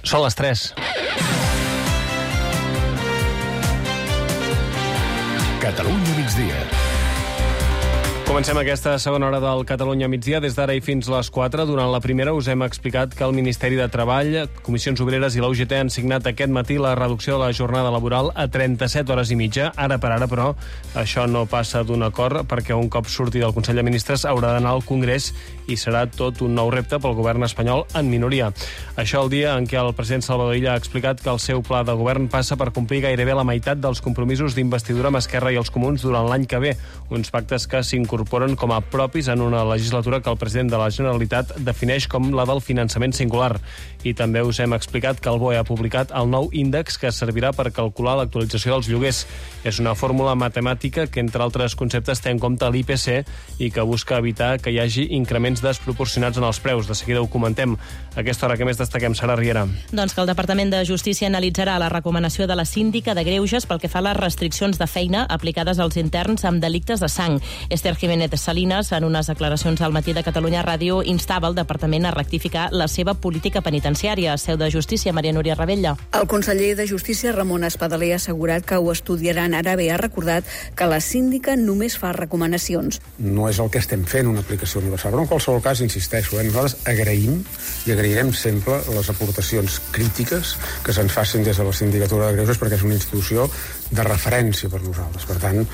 Són les 3. Catalunya migdia. Comencem aquesta segona hora del Catalunya migdia. Des d'ara i fins les 4. Durant la primera us hem explicat que el Ministeri de Treball, Comissions Obreres i la UGT han signat aquest matí la reducció de la jornada laboral a 37 hores i mitja. Ara per ara, però, això no passa d'un acord perquè un cop surti del Consell de Ministres haurà d'anar al Congrés i serà tot un nou repte pel govern espanyol en minoria. Això el dia en què el president Salvador Illa ha explicat que el seu pla de govern passa per complir gairebé la meitat dels compromisos d'investidura amb Esquerra i els Comuns durant l'any que ve. Uns pactes que s'incorporen com a propis en una legislatura que el president de la Generalitat defineix com la del finançament singular. I també us hem explicat que el BOE ha publicat el nou índex que servirà per calcular l'actualització dels lloguers. És una fórmula matemàtica que, entre altres conceptes, té en compte l'IPC i que busca evitar que hi hagi increments desproporcionats en els preus. De seguida ho comentem. A aquesta hora que més destaquem, Sara Riera. Doncs que el Departament de Justícia analitzarà la recomanació de la síndica de Greuges pel que fa a les restriccions de feina aplicades als interns amb delictes de sang. Esther Jiménez Salinas, en unes declaracions al Matí de Catalunya Ràdio, instava el Departament a rectificar la seva política penitenciària. Seu de Justícia, Maria Núria Ravella. El conseller de Justícia, Ramon Espadaler, ha assegurat que ho estudiaran. Ara bé, ha recordat que la síndica només fa recomanacions. No és el que estem fent, una aplicació universal, però en qualsevol cas, insisteixo, nosaltres agraïm i agrairem sempre les aportacions crítiques que se'ns facin des de la Sindicatura de Greuges, perquè és una institució de referència per nosaltres. Per tant,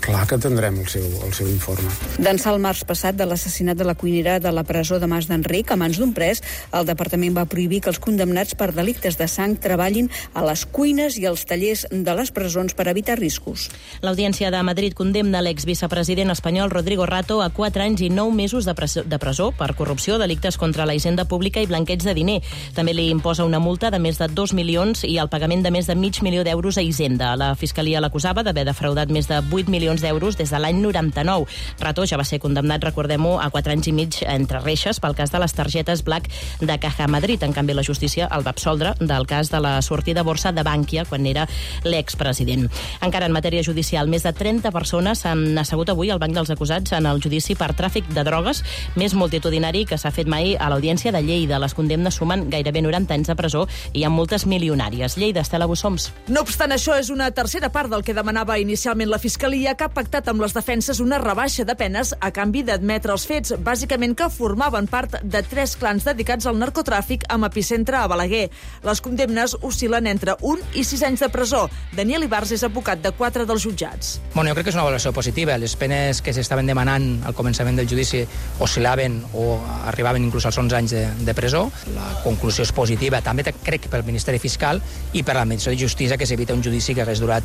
clar que atendrem el seu informe. D'ençà el març passat de l'assassinat de la cuinera de la presó de Mas d'Enric a mans d'un pres, el Departament va prohibir que els condemnats per delictes de sang treballin a les cuines i als tallers de les presons per evitar riscos. L'Audiència de Madrid condemna l'exvicepresident espanyol Rodrigo Rato a 4 anys i 9 mesos de presó per corrupció, delictes contra la hisenda pública i blanqueig de diner. També li imposa una multa de més de 2 milions i el pagament de més de mig milió d'euros a Hisenda. La Fiscalia l'acusava d'haver defraudat més de 8 milions d'euros des de l'any 99. Rato ja va ser condemnat, recordem-ho, a 4 anys i mig entre reixes pel cas de les targetes Black de Caja Madrid. En canvi, la justícia el va absoldre del cas de la sortida a borsa de Bankia quan era l'expresident. Encara en matèria judicial, més de 30 persones s'han assegut avui al banc dels acusats en el judici per tràfic de drogues més multitudinari que s'ha fet mai a l'Audiència de Lleida. Les condemnes sumen gairebé 90 anys de presó i hi ha multes milionàries. Lleida, Estela Bussoms. No obstant això, és una tercera part del que demanava inicialment la Fiscalia, que ha pactat amb les defenses una rebaixa de penes a canvi d'admetre els fets, bàsicament que formaven part de 3 clans dedicats al narcotràfic amb epicentre a Balaguer. Les condemnes oscil·len entre 1 i 6 anys de presó. Daniel Ibars és advocat de 4 dels jutjats. Bueno, jo crec que és una valoració positiva. Les penes que s'estaven demanant al començament del judici oscil·laven o arribaven inclús als 11 anys de presó. La conclusió és positiva, també crec pel Ministeri Fiscal i per l'Administració de Justícia, que s'evita un judici que hagués durat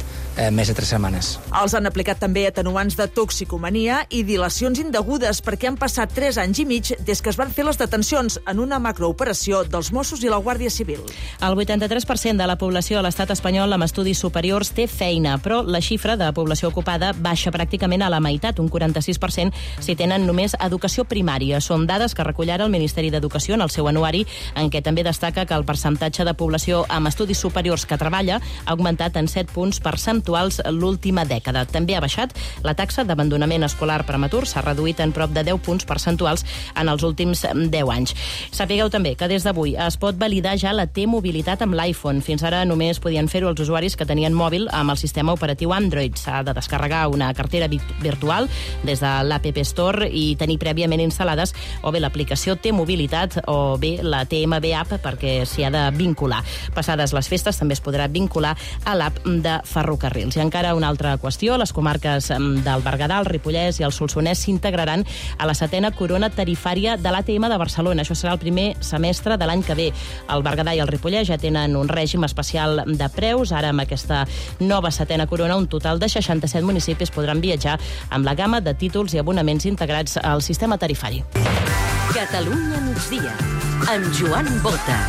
més de 3 setmanes. Els han aplicat també atenuants de toxicomania i dilacions indegudes perquè han passat 3 anys i mig des que es van fer les detencions en una macrooperació dels Mossos i la Guàrdia Civil. El 83% de la població a l'estat espanyol amb estudis superiors té feina, però la xifra de població ocupada baixa pràcticament a la meitat, un 46% si tenen només educació primària. Són dades que recull ara el Ministeri d'Educació en el seu anuari, en què també destaca que el percentatge de població amb estudis superiors que treballa ha augmentat en 7 punts percentuals l'última dècada. També ha baixat la taxa d'abandonament escolar prematur, s'ha reduït en prop de 10 punts percentuals en els últims 10 anys. Sapigueu també que des d'avui es pot validar ja la T-mobilitat amb l'iPhone. Fins ara només podien fer-ho els usuaris que tenien mòbil amb el sistema operatiu Android. S'ha de descarregar una cartera virtual des de l'App Store i tenir prèviament instal·lades o bé l'aplicació T-mobilitat o bé la TMB App perquè s'hi ha de vincular. Passades les festes també es podrà vincular a l'app de Ferrocarrils. I encara una altra qüestió, les comarques del Berguedà, el Ripollès i el Solsonès s'integraran a la 7a corona tarifària de l'ATM de Barcelona. Això serà el primer semestre de l'any que ve. El Berguedà i el Ripollès ja tenen un règim especial de preus. Ara, amb aquesta nova 7a corona, un total de 67 municipis podran viatjar amb la gamma de títols i abonaments integrats al sistema tarifari. Catalunya migdia, amb Joan Bota.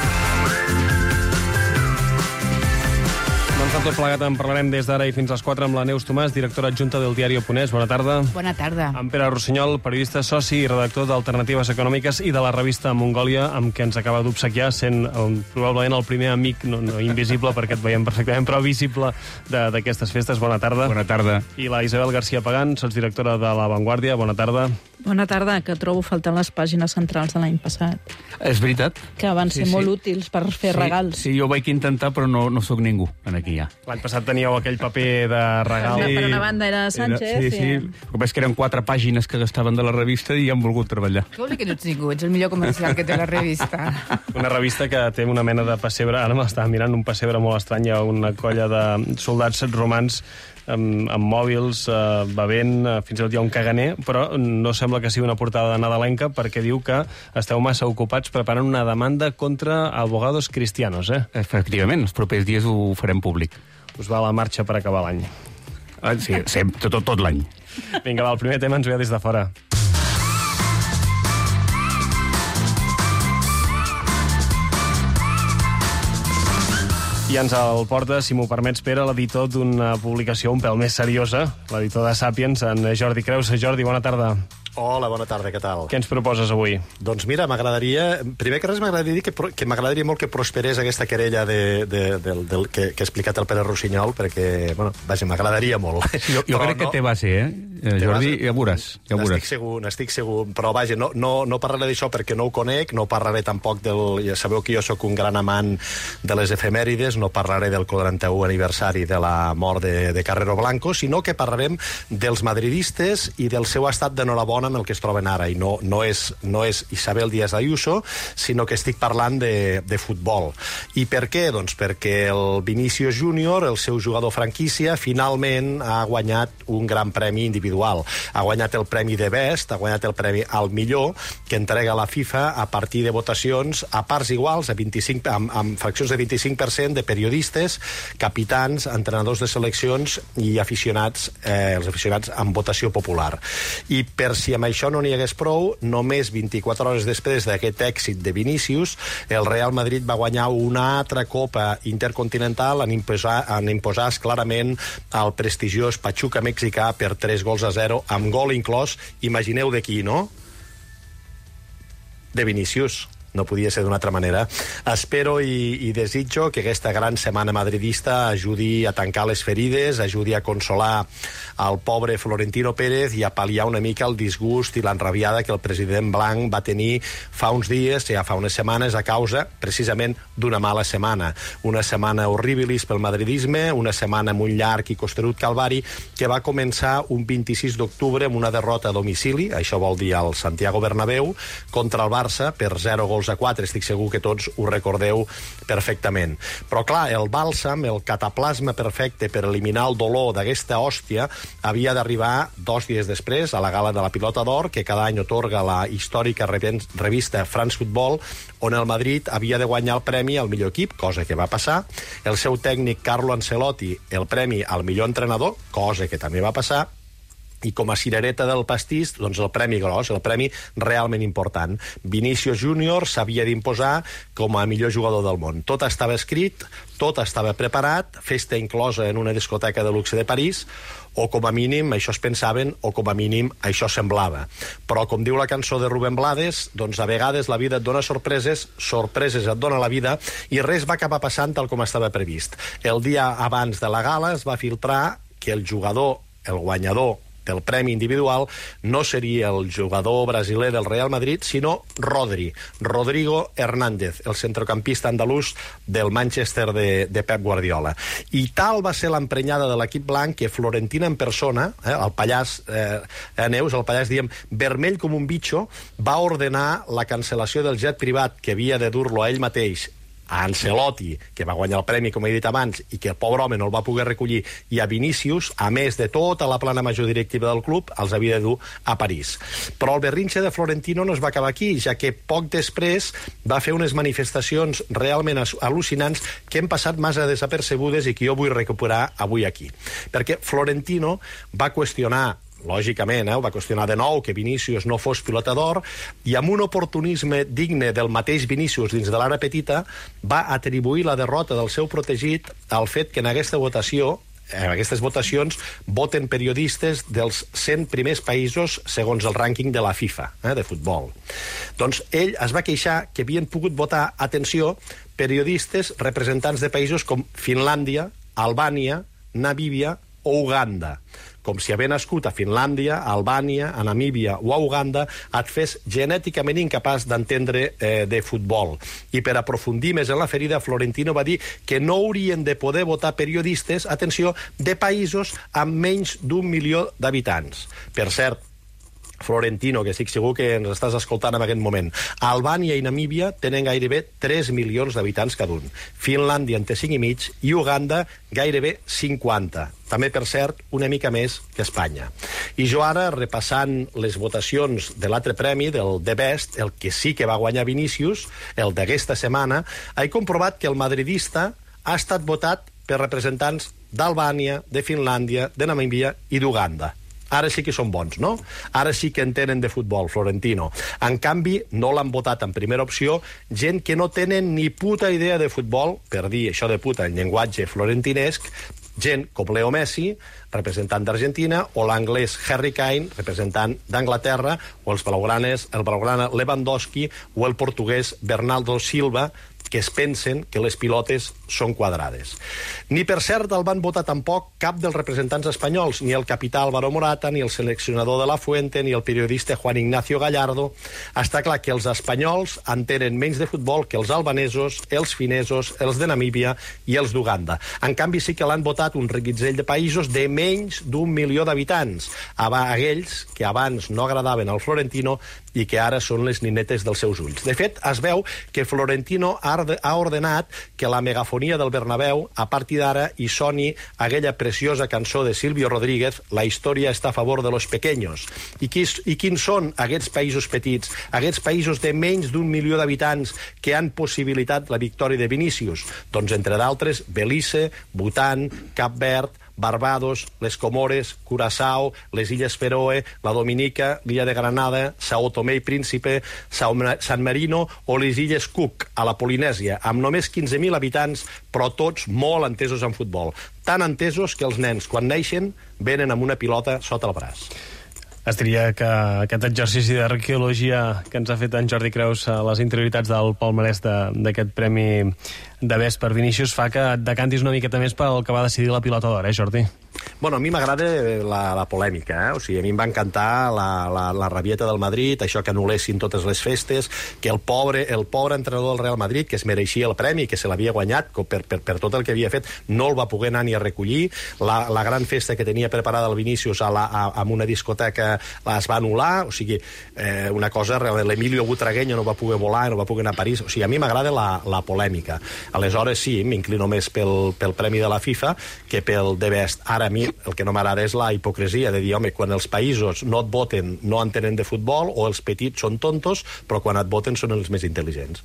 Doncs de tot plegat en parlarem des d'ara i fins a les 4 amb la Neus Tomàs, directora adjunta del diari Oponès. Bona tarda. Bona tarda. En Pere Rossinyol, periodista, soci i redactor d'Alternatives Econòmiques i de la revista Mongòlia, amb què ens acaba d'obsequiar, sent probablement el primer amic, no invisible perquè et veiem perfectament, però visible d'aquestes festes. Bona tarda. Bona tarda. I la Isabel García Pagán, sotsdirectora de La Vanguardia. Bona tarda. Bona tarda, que trobo faltant les pàgines centrals de l'any passat. És veritat. Que van ser molt útils per fer regals. Sí, jo vaig intentar, però no sóc ningú aquí ja. L'any passat teníeu aquell paper de regal. Per una banda era Sánchez. Sí. El que passa que eren 4 pàgines que gastaven de la revista i han volgut treballar. Què vol dir que no ets ningú? Ets el millor comercial que té la revista. Una revista que té una mena de pessebre, ara m'estava mirant, un pessebre molt estrany, una colla de soldats romans amb mòbils, bevent, fins i tot hi ha un caganer, però no sembla que sigui una portada nadalenca perquè diu que esteu massa ocupats preparant una demanda contra abogados cristianos, Efectivament, els propers dies ho farem públic. Us va la marxa per acabar l'any. Sí, tot l'any. Vinga, va, el primer tema ens ve des de fora. I ens el porta, si m'ho permets, Pere, l'editor d'una publicació un pèl més seriosa, l'editor de Sàpiens, en Jordi Creus. Jordi, bona tarda. Hola, bona tarda, què tal? Què ens proposes avui? Doncs mira, m'agradaria... Primer que res, m'agradaria dir que m'agradaria molt que prosperés aquesta querella que ha explicat el Pere Rossinyol, perquè, bueno, vaja, m'agradaria molt. Jo crec que té base, Jordi, ja veuràs. N'estic segur, però vaja, no parlaré d'això perquè no ho conec, no parlaré tampoc del... Ja sabeu que jo sóc un gran amant de les efemèrides, no parlaré del 41 aniversari de la mort de Carrero Blanco, sinó que parlarem dels madridistes i del seu estat d'enhorabona en el que es troben ara, i no és Isabel Díaz Ayuso, sinó que estic parlant de futbol. I per què? Doncs perquè el Vinícius Júnior, el seu jugador franquícia, finalment ha guanyat un gran premi individual. Ha guanyat el premi de Best, ha guanyat el premi al millor, que entrega la FIFA a partir de votacions a parts iguals, amb fraccions de 25% de periodistes, capitans, entrenadors de seleccions i aficionats, els aficionats amb votació popular. I per si amb això no n'hi hagués prou, només 24 hores després d'aquest èxit de Vinícius, el Real Madrid va guanyar una altra Copa Intercontinental en imposar clarament al prestigiós Pachuca mexicà per 3-0, amb gol inclòs, imagineu de qui, no? De Vinícius. No podia ser d'una altra manera. Espero i desitjo que aquesta gran setmana madridista ajudi a tancar les ferides, ajudi a consolar el pobre Florentino Pérez i a pal·liar una mica el disgust i l'enrabiada que el president blanc va tenir fa uns dies, ja fa unes setmanes, a causa precisament d'una mala setmana. Una setmana horribilis pel madridisme, una setmana amb un llarg i costerut calvari que va començar un 26 d'octubre amb una derrota a domicili, això vol dir al Santiago Bernabéu, contra el Barça per 0-4. Estic segur que tots ho recordeu perfectament. Però clar, el bàlsam, el cataplasma perfecte per eliminar el dolor d'aquesta hòstia havia d'arribar 2 dies després a la gala de la Pilota d'Or, que cada any otorga la històrica revista France Football, on el Madrid havia de guanyar el premi al millor equip, cosa que va passar, el seu tècnic Carlo Ancelotti el premi al millor entrenador, cosa que també va passar, i com a cirereta del pastís, doncs el premi gros, el premi realment important. Vinícius Júnior s'havia d'imposar com a millor jugador del món. Tot estava escrit, tot estava preparat, festa inclosa en una discoteca de luxe de París, o com a mínim això es pensaven, o com a mínim això semblava. Però, com diu la cançó de Rubén Blades, doncs a vegades la vida et dona sorpreses, sorpreses et dona la vida, i res va acabar passant tal com estava previst. El dia abans de la gala es va filtrar que el jugador, el guanyador del premi individual, no seria el jugador brasiler del Real Madrid, sinó Rodrigo Hernández, el centrocampista andalús del Manchester de Pep Guardiola. I tal va ser l'emprenyada de l'equip blanc que Florentino en persona, el pallàs Neus, el pallàs, diem, vermell com un bitxo, va ordenar la cancel·lació del jet privat que havia de dur-lo a ell mateix, a Ancelotti, que va guanyar el premi, com he dit abans, i que el pobre home no el va poder recollir, i a Vinícius, a més de tota la plana major directiva del club, els havia de dur a París. Però el berrinxe de Florentino no es va acabar aquí, ja que poc després va fer unes manifestacions realment al·lucinants que hem passat massa desapercebudes i que jo vull recuperar avui aquí. Perquè Florentino va qüestionar lògicament, ho va qüestionar de nou, que Vinícius no fos pilota d'or, i amb un oportunisme digne del mateix Vinícius dins de l'àrea petita, va atribuir la derrota del seu protegit al fet que en aquesta votació, en aquestes votacions, voten periodistes dels 100 primers països segons el rànquing de la FIFA, de futbol. Doncs ell es va queixar que havien pogut votar, atenció, periodistes representants de països com Finlàndia, Albània, Namíbia o Uganda. Com si haver nascut a Finlàndia, a Albània, a Namíbia o a Uganda et fes genèticament incapaç d'entendre de futbol. I per aprofundir més en la ferida, Florentino va dir que no haurien de poder votar periodistes, atenció, de països amb menys d'1 milió d'habitants. Per cert, Florentino, que estic segur que ens estàs escoltant en aquest moment, Albània i Namíbia tenen gairebé 3 milions d'habitants cada un. Finlàndia en té 5,5 i Uganda gairebé 50. També, per cert, una mica més que Espanya. I jo ara, repassant les votacions de l'altre premi, del The Best, el que sí que va guanyar Vinícius, el d'aquesta setmana, he comprovat que el madridista ha estat votat per representants d'Albània, de Finlàndia, de Namíbia i d'Uganda. Ara sí que són bons, no? Ara sí que entenen de futbol, Florentino. En canvi, no l'han votat en primera opció gent que no tenen ni puta idea de futbol, per dir això de puta en llenguatge florentinesc, gent com Leo Messi, representant d'Argentina, o l'anglès Harry Kane, representant d'Anglaterra, o el blaugrana Lewandowski, o el portuguès Bernardo Silva, que es pensen que les pilotes són quadrades. Ni per cert el van votar tampoc cap dels representants espanyols, ni el capità Álvaro Morata, ni el seleccionador de la Fuente, ni el periodista Juan Ignacio Gallardo. Està clar que els espanyols entenen menys de futbol que els albanesos, els finesos, els de Namíbia i els d'Uganda. En canvi sí que l'han votat un reguitzell de països de menys d'1 milió d'habitants, aquells que abans no agradaven al Florentino i que ara són les ninetes dels seus ulls. De fet, es veu que Florentino ha ordenat que la megafonia del Bernabéu, a partir d'ara, hi soni aquella preciosa cançó de Silvio Rodríguez, La història està a favor de los pequeños. I quins són aquests països petits, aquests països de menys d'1 milió d'habitants que han possibilitat la victòria de Vinícius? Doncs, entre d'altres, Belize, Bhutan, Cap Verd, Barbados, les Comores, Curaçao, les Illes Feroe, la Dominica, l'illa de Granada, Sao Tomé i Príncipe, San Marino o les Illes Cook, a la Polinèsia, amb només 15.000 habitants, però tots molt entesos en futbol. Tan entesos que els nens, quan neixen, venen amb una pilota sota el braç. Es diria que aquest exercici d'arqueologia que ens ha fet en Jordi Creus a les interioritats del palmarès d'aquest premi de Best per Vinícius fa que et decantis una miqueta més pel que va decidir la pilota d'or, Jordi? Bueno, a mi m'agrada la polèmica, O sigui, a mi em va encantar la rabieta del Madrid, això que anul·lessin totes les festes, que el pobre entrenador del Real Madrid, que es mereixia el premi, que se l'havia guanyat per tot el que havia fet, no el va poder anar ni a recollir. La gran festa que tenia preparada el Vinícius en una discoteca es va anul·lar, o sigui, una cosa, l'Emilio Butragueño no va poder volar, no va poder anar a París, o sigui, a mi m'agrada la polèmica. Aleshores, sí, m'inclino més pel premi de la FIFA que pel The Best. Ara, a mi el que no m'agrada és la hipocresia de dir, home, quan els països no et voten no entenen de futbol, o els petits són tontos, però quan et voten són els més intel·ligents.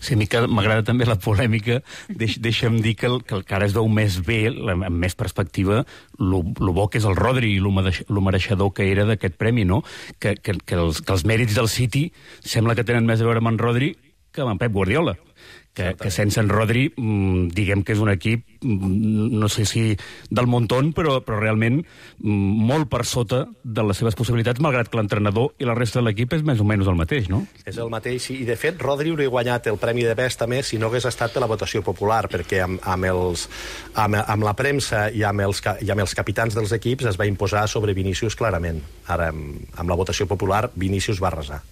Sí, a mi m'agrada també la polèmica. Deixa'm dir que ara es veu més bé, amb més perspectiva, lo bo que és el Rodri i lo mereixedor que era d'aquest premi, no? Que els mèrits del City sembla que tenen més a veure amb en Rodri que amb en Pep Guardiola. Que sense en Rodri, diguem que és un equip, no sé si del montón, però realment molt per sota de les seves possibilitats, malgrat que l'entrenador i la resta de l'equip és més o menys el mateix, no? És el mateix, i de fet Rodri hauria guanyat el Premi de Best també si no hagués estat per la votació popular, perquè amb la premsa i amb els capitans dels equips es va imposar sobre Vinícius clarament. Ara, amb la votació popular, Vinícius va arrasar.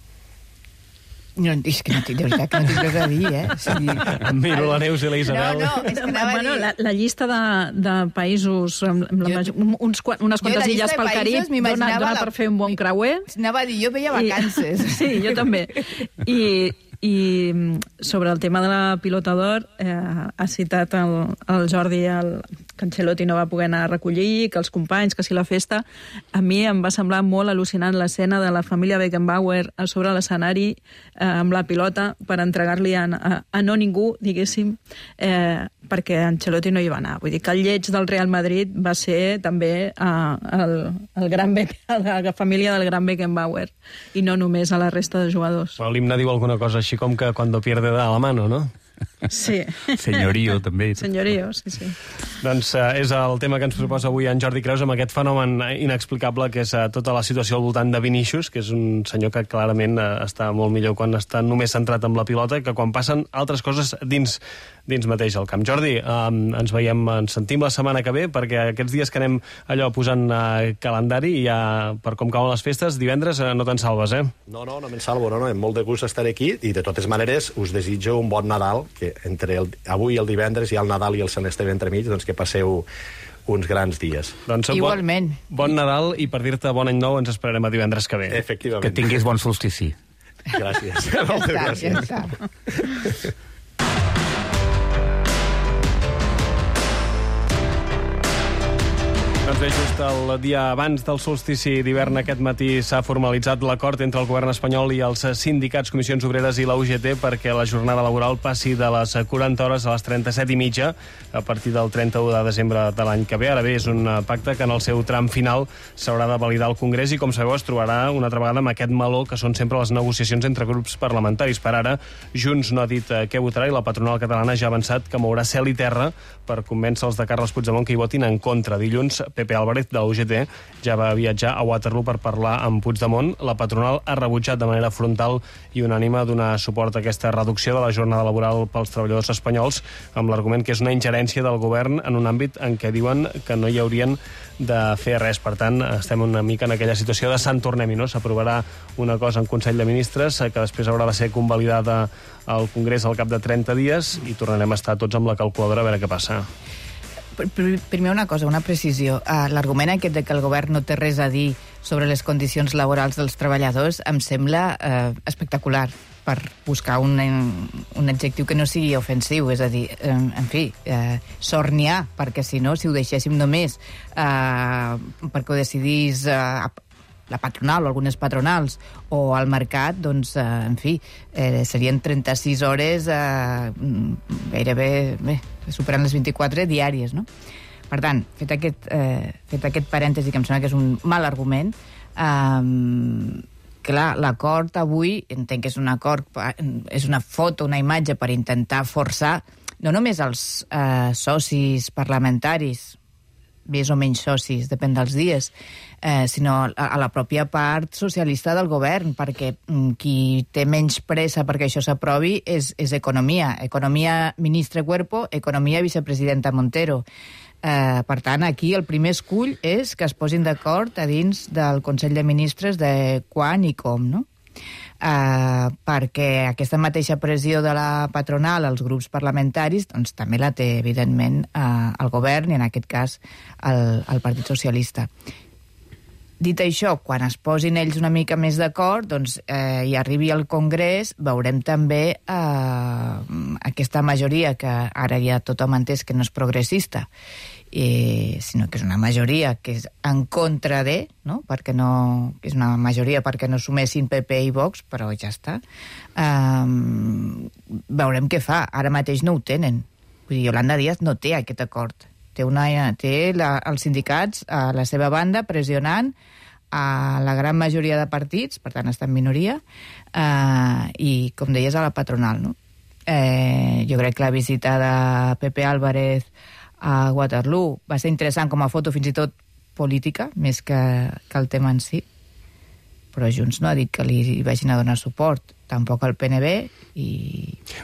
No, és que no tinc, de veritat que no tinc res a dir, eh? O sigui... Miro la Neus i la Isabel. No, és que anava a dir... La llista de països, unes quantes illes pel Carib, dona per fer un bon creuer. Anava a dir, jo veia vacances. Sí, jo també. I sobre el tema de la pilota d'or, ha citat el Jordi Ancelotti no va poder anar a recollir, que els companys, que si la festa... A mi em va semblar molt al·lucinant l'escena de la família Beckenbauer a sobre l'escenari amb la pilota per entregar-li a no ningú, diguéssim, perquè Ancelotti no hi va anar. Vull dir que el lleig del Real Madrid va ser també la família del gran Beckenbauer i no només a la resta de jugadors. L'himne diu alguna cosa així com que cuando pierde da la mano, no? Sí. Senyorio, també. Senyorio, sí. Doncs és el tema que ens proposa avui en Jordi Creus, amb aquest fenomen inexplicable que és tota la situació al voltant de Vinícius, que és un senyor que clarament està molt millor quan està només centrat en la pilota que quan passen altres coses dins mateix al camp. Jordi, ens sentim la setmana que ve, perquè aquests dies que anem allò posant calendari i ja per com cauen les festes, divendres no te'n salves, eh? No me'n salvo, no. Amb molt de gust estar aquí i de totes maneres us desitjo un bon Nadal, que entre avui i el divendres hi ha el Nadal i el Sant Esteve entremig, doncs que passeu uns grans dies. Doncs igualment. Bon Nadal i per dir-te bon any nou ens esperarem a divendres que ve. Efectivament. Que tinguis bon solstici. Gràcies. Ja està. Doncs bé, just el dia abans del solstici d'hivern aquest matí s'ha formalitzat l'acord entre el govern espanyol i els sindicats, comissions obreres i la UGT perquè la jornada laboral passi de les 40 hores a les 37,5 a partir del 31 de desembre de l'any que ve. Ara bé, és un pacte que en el seu tram final s'haurà de validar al Congrés i, com sabeu, es trobarà una altra vegada amb aquest meló que són sempre les negociacions entre grups parlamentaris. Per ara, Junts no ha dit què votarà i la patronal catalana ja ha avançat que mourà cel i terra per convèncer els de Carles Puigdemont que hi votin en contra. Dilluns, Pepe Álvarez, de la UGT, ja va viatjar a Waterloo per parlar amb Puigdemont. La patronal ha rebutjat de manera frontal i unànime donar suport a aquesta reducció de la jornada laboral pels treballadors espanyols, amb l'argument que és una ingerència del govern en un àmbit en què diuen que no hi haurien de fer res. Per tant, estem una mica en aquella situació de Sant Tornem-hi, no? S'aprovarà una cosa en Consell de Ministres que després haurà de ser convalidada al Congrés al cap de 30 dies i tornarem a estar tots amb la calculadora a veure què passa. Primer una cosa, una precisió. L'argument aquest de que el govern no té res a dir sobre les condicions laborals dels treballadors em sembla espectacular, per buscar un adjectiu que no sigui ofensiu, és a dir, en fi, sort n'hi ha, perquè si no, si ho deixéssim només perquè ho decidís la patronal o algunes patronals o al mercat, doncs, en fi, serien 36 hores gairebé, superant les 24 diàries, no? Per tant, fet aquest parèntesi, que em sembla que és un mal argument, clar, l'acord avui, entenc que és un acord, és una foto, una imatge per intentar forçar no només els socis parlamentaris, més o menys socis, depèn dels dies, sinó a la pròpia part socialista del govern, perquè qui té menys pressa perquè això s'aprovi és Economia. Economia, ministre Cuerpo, Economia, vicepresidenta Montero. Per tant, aquí el primer escull és que es posin d'acord a dins del Consell de Ministres de quan i com, no? Perquè aquesta mateixa pressió de la patronal als grups parlamentaris doncs, també la té, evidentment, el govern i, en aquest cas, el Partit Socialista. Dit això, quan es posin ells una mica més d'acord doncs, i arribi al Congrés, veurem també aquesta majoria que ara ja tothom ha entès que no és progressista, sinó que és una majoria que és en contra de, no? Perquè no, és una majoria perquè no sumessin PP i Vox, però ja està. Veurem què fa. Ara mateix no ho tenen. Vull dir, Yolanda Díaz no té aquest acord. Té els sindicats a la seva banda pressionant a la gran majoria de partits, per tant està en minoria, i, com deies, a la patronal, no? Jo crec que la visita de Pepe Álvarez a Waterloo va ser interessant com a foto, fins i tot política, més que el tema en si, però Junts no ha dit que li vagin a donar suport, tampoc al PNB, i...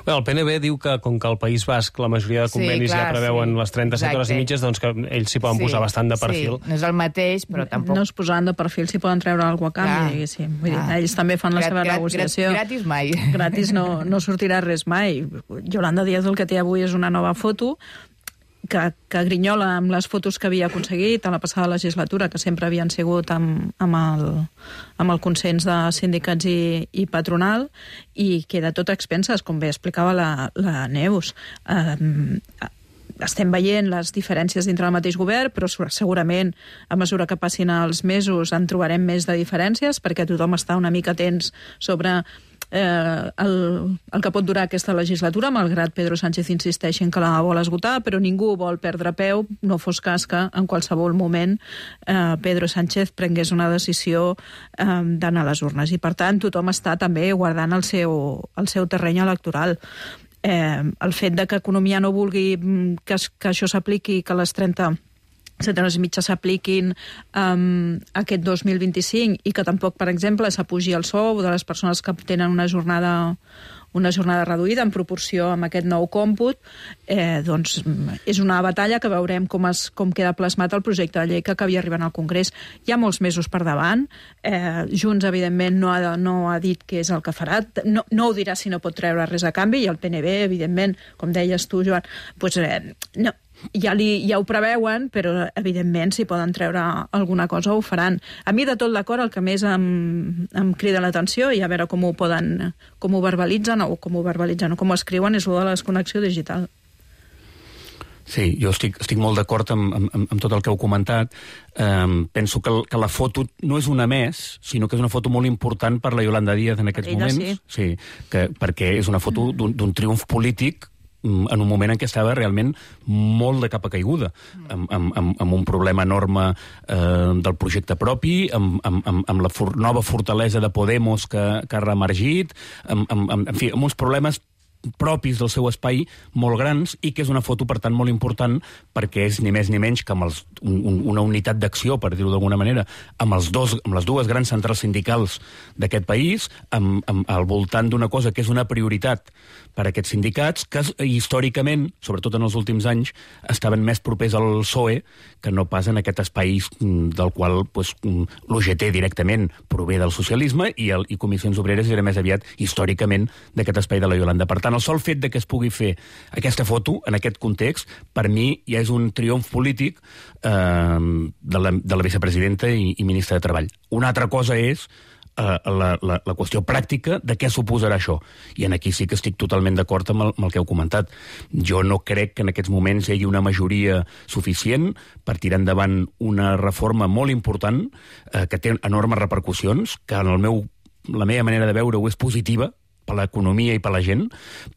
Bé, el PNB diu que, com que al País Basc la majoria de convenis ja preveuen les 37 hores i mitges, doncs que ells s'hi poden posar bastant de perfil. Sí, no és el mateix, però tampoc... No es posaran de perfil, s'hi poden treure alguna cosa a canvi, diguéssim. Vull dir, ells també fan la seva negociació. Gratis mai. Gratis no sortirà res mai. Yolanda Díaz el que té avui és una nova foto, que grinyola amb les fotos que havia aconseguit a la passada legislatura, que sempre havien sigut amb el consens de sindicats i patronal, i queda tot a expenses, com bé explicava la Neus. estem veient les diferències dintre del mateix govern, però segurament a mesura que passin els mesos en trobarem més de diferències, perquè tothom està una mica tens sobre el que pot durar aquesta legislatura, malgrat Pedro Sánchez insisteixi en que la vol esgotar, però ningú vol perdre peu, no fos cas que en qualsevol moment Pedro Sánchez prengués una decisió d'anar a les urnes. I per tant tothom està també guardant el seu terreny electoral. El fet de que Economia no vulgui que això s'apliqui, que les 30 hores i mitja s'apliquin aquest 2025 i que tampoc, per exemple, s'apugi el sou de les persones que tenen una jornada reduïda en proporció amb aquest nou còmput, doncs és una batalla que veurem com queda plasmat el projecte de llei que acabi arribant al Congrés. Hi ha molts mesos per davant. Junts, evidentment, no ha dit què és el que farà. No ho dirà si no pot treure res a canvi, i el PNB, evidentment, com deies tu, Joan, doncs no. Ja ho preveuen, però evidentment si poden treure alguna cosa ho faran. A mi de tot l'acord el que més em crida l'atenció, i a veure com ho verbalitzen o com ho escriuen, és el de la desconnexió digital. Sí, jo estic molt d'acord amb tot el que heu comentat. Penso que la foto no és una més, sinó que és una foto molt important per la Yolanda Díaz en aquests moments. Sí, perquè és una foto d'un triomf polític en un moment en què estava realment molt de capa caiguda, amb un problema enorme del projecte propi, amb la nova fortalesa de Podemos que ha reemergit, en fi, amb uns problemes propis del seu espai molt grans, i que és una foto, per tant, molt important, perquè és ni més ni menys que amb una unitat d'acció, per dir-ho d'alguna manera, amb les dues grans centrals sindicals d'aquest país, al voltant d'una cosa que és una prioritat per a aquests sindicats, que històricament, sobretot en els últims anys, estaven més propers al PSOE que no pas en aquest espai del qual l'UGT directament prové del socialisme, i Comissions Obreres era més aviat històricament d'aquest espai de la Yolanda. Per tant, el sol fet de que es pugui fer aquesta foto en aquest context, per mi ja és un triomf polític de la vicepresidenta i ministra de Treball. Una altra cosa és la qüestió pràctica de què suposarà això. I aquí sí que estic totalment d'acord amb el que heu comentat. Jo no crec que en aquests moments hi hagi una majoria suficient per tirar endavant una reforma molt important que té enormes repercussions, que en la meva manera de veure-ho és positiva per l'economia i per la gent,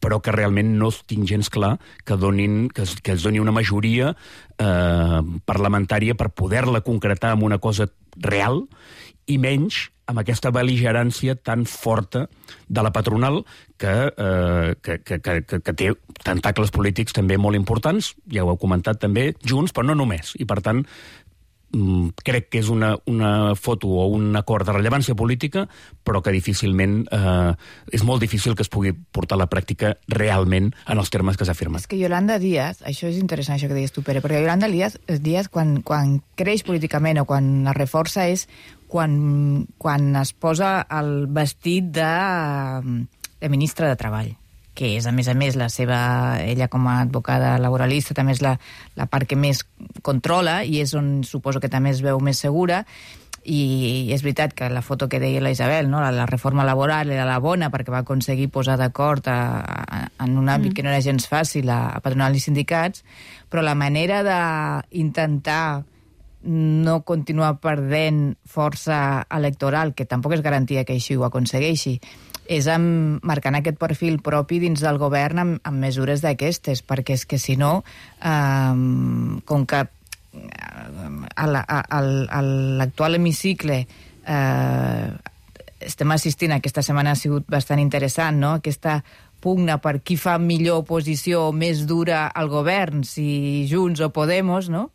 però que realment no tinc gens clar que es doni una majoria parlamentària per poder-la concretar en una cosa real, i menys amb aquesta bel·ligerància tan forta de la patronal que té tentacles polítics també molt importants, ja ho heu comentat també, Junts, però no només. I per tant, crec que és una foto o un acord de rellevància política, però que difícilment és molt difícil que es pugui portar a la pràctica realment en els termes que s'ha afirmat. És que Yolanda Díaz, això és interessant això que deies tu, Pere, perquè Yolanda Díaz quan creix políticament o quan es reforça és quan es posa el vestit de ministra de Treball, que és, a més, ella com a advocada laboralista també és la part que més controla i és on suposo que també es veu més segura. I és veritat que la foto que deia la Isabel, no? La reforma laboral era la bona perquè va aconseguir posar d'acord en un àmbit que no era gens fàcil a patronal i sindicats, però la manera d'intentar no continuar perdent força electoral, que tampoc és garantia que així ho aconsegueixi, és marcant aquest perfil propi dins del govern amb mesures d'aquestes, perquè és que si no, com que a l'actual hemicicle estem assistint, aquesta setmana ha sigut bastant interessant, no? Aquesta pugna per qui fa millor oposició més dura al govern, si Junts o Podemos, no?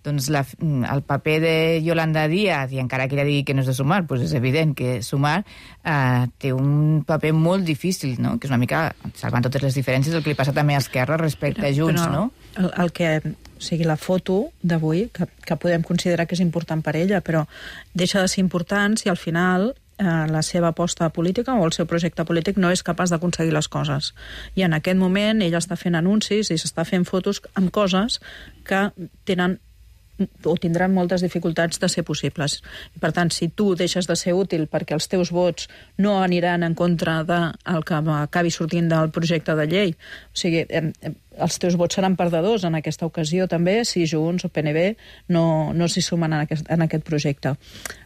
Doncs el paper de Yolanda Díaz, i encara que ella digui que no és de Sumar, doncs és evident que Sumar té un paper molt difícil, no? Que és una mica, salvant totes les diferències, el que li passa també a Esquerra respecte a Junts, no? O sigui, la foto d'avui, que podem considerar que és important per ella, però deixa de ser important si al final la seva aposta política o el seu projecte polític no és capaç d'aconseguir les coses. I en aquest moment ella està fent anuncis i s'està fent fotos amb coses que tenen o tindran moltes dificultats de ser possibles. I, per tant, si tu deixes de ser útil perquè els teus vots no aniran en contra del que acabi sortint del projecte de llei, o sigui, els teus vots seran perdedors en aquesta ocasió també, si Junts o PNB no s'hi sumen en aquest projecte.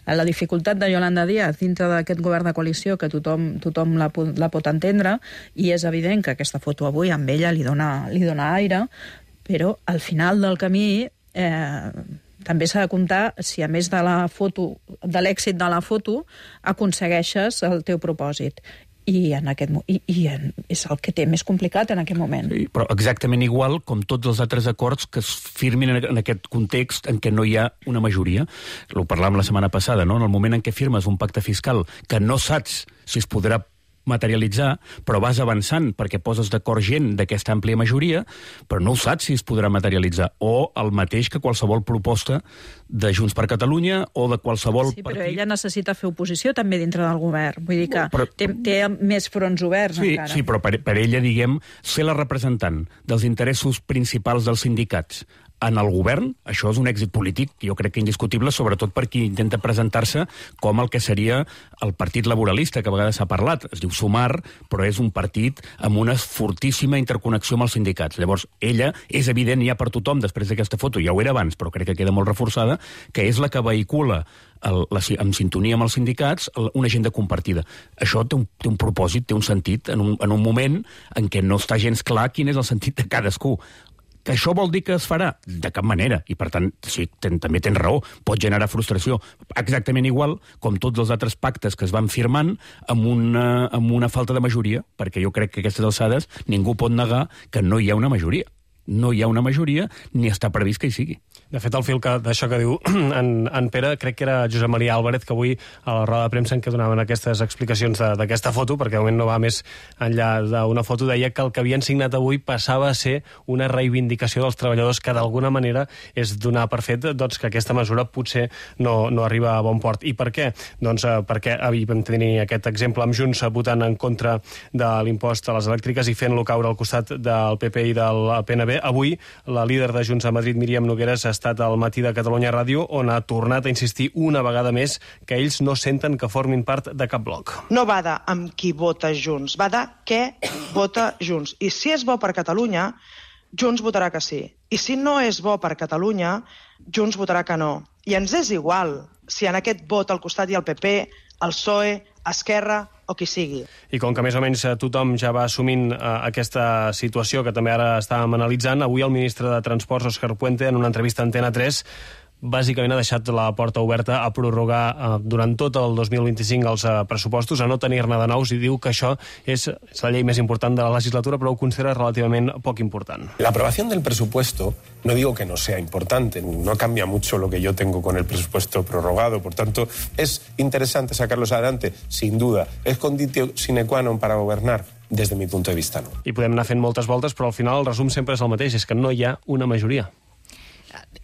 La dificultat de Yolanda Díaz dintre d'aquest govern de coalició, que tothom la pot entendre, i és evident que aquesta foto avui amb ella li dona aire, però al final del camí també s'ha de comptar si a més de l'èxit de la foto aconsegueixes el teu propòsit. I és el que té més complicat en aquest moment. Sí, però exactament igual com tots els altres acords que es firmin en aquest context en què no hi ha una majoria. Ho parlàvem la setmana passada, no? En el moment en què firmes un pacte fiscal que no saps si es podrà materialitzar, però vas avançant perquè poses d'acord gent d'aquesta àmplia majoria, però no ho saps si es podrà materialitzar. O el mateix que qualsevol proposta de Junts per Catalunya o de qualsevol partit. Sí, però ella necessita fer oposició també dintre del govern. Vull dir que té més fronts oberts encara. Sí, però per ella, diguem, ser la representant dels interessos principals dels sindicats en el govern, això és un èxit polític, jo crec que indiscutible, sobretot per qui intenta presentar-se com el que seria el partit laboralista, que a vegades s'ha parlat. Es diu Sumar, però és un partit amb una fortíssima interconnexió amb els sindicats. Llavors, ella, és evident ja per tothom, després d'aquesta foto, ja ho era abans, però crec que queda molt reforçada, que és la que vehicula en sintonia amb els sindicats una agenda compartida. Això té un propòsit, té un sentit, en un moment en què no està gens clar quin és el sentit de cadascú. Que això vol dir que es farà? De cap manera. I, per tant, sí, també tens raó. Pot generar frustració. Exactament igual com tots els altres pactes que es van firmant amb una falta de majoria, perquè jo crec que a aquestes alçades ningú pot negar que no hi ha una majoria. No hi ha una majoria ni està previst que hi sigui. De fet, el fil d'això que diu en Pere, crec que era Josep Maria Álvarez, que avui a la roda de premsa en què donaven aquestes explicacions d'aquesta foto, perquè de moment no va més enllà d'una foto, deia que el que havien signat avui passava a ser una reivindicació dels treballadors, que d'alguna manera és donar per fet que aquesta mesura potser no arriba a bon port. I per què? Doncs perquè vam tenir aquest exemple amb Junts votant en contra de l'impost a les elèctriques i fent-lo caure al costat del PP i del PNB. Avui, la líder de Junts a Madrid, Míriam Nogueras, ha estat al Matí de Catalunya Ràdio, on ha tornat a insistir una vegada més que ells no senten que formin part de cap bloc. No va de amb qui vota Junts, va de què vota Junts. I si és bo per Catalunya, Junts votarà que sí. I si no és bo per Catalunya, Junts votarà que no. I ens és igual si en aquest vot al costat hi ha el PP, el PSOE, Esquerra o qui sigui. I com que més o menys tothom ja va assumint aquesta situació que també ara estàvem analitzant, avui el ministre de Transports, Òscar Puente, en una entrevista a Antena 3, bàsicament ha deixat la porta oberta a prorrogar durant tot el 2025 els pressupostos, a no tenir-ne de nous, i diu que això és la llei més important de la legislatura, però ho considera relativament poc important. La aprobación del presupuesto, no digo que no sea importante, no cambia mucho lo que yo tengo con el presupuesto prorrogado, por tanto, es interesante sacarlos adelante, sin duda. Es conditio sine qua non para gobernar. Des de mi punt de vista, no. I podem anar fent moltes voltes, però al final el resum sempre és el mateix, és que no hi ha una majoria.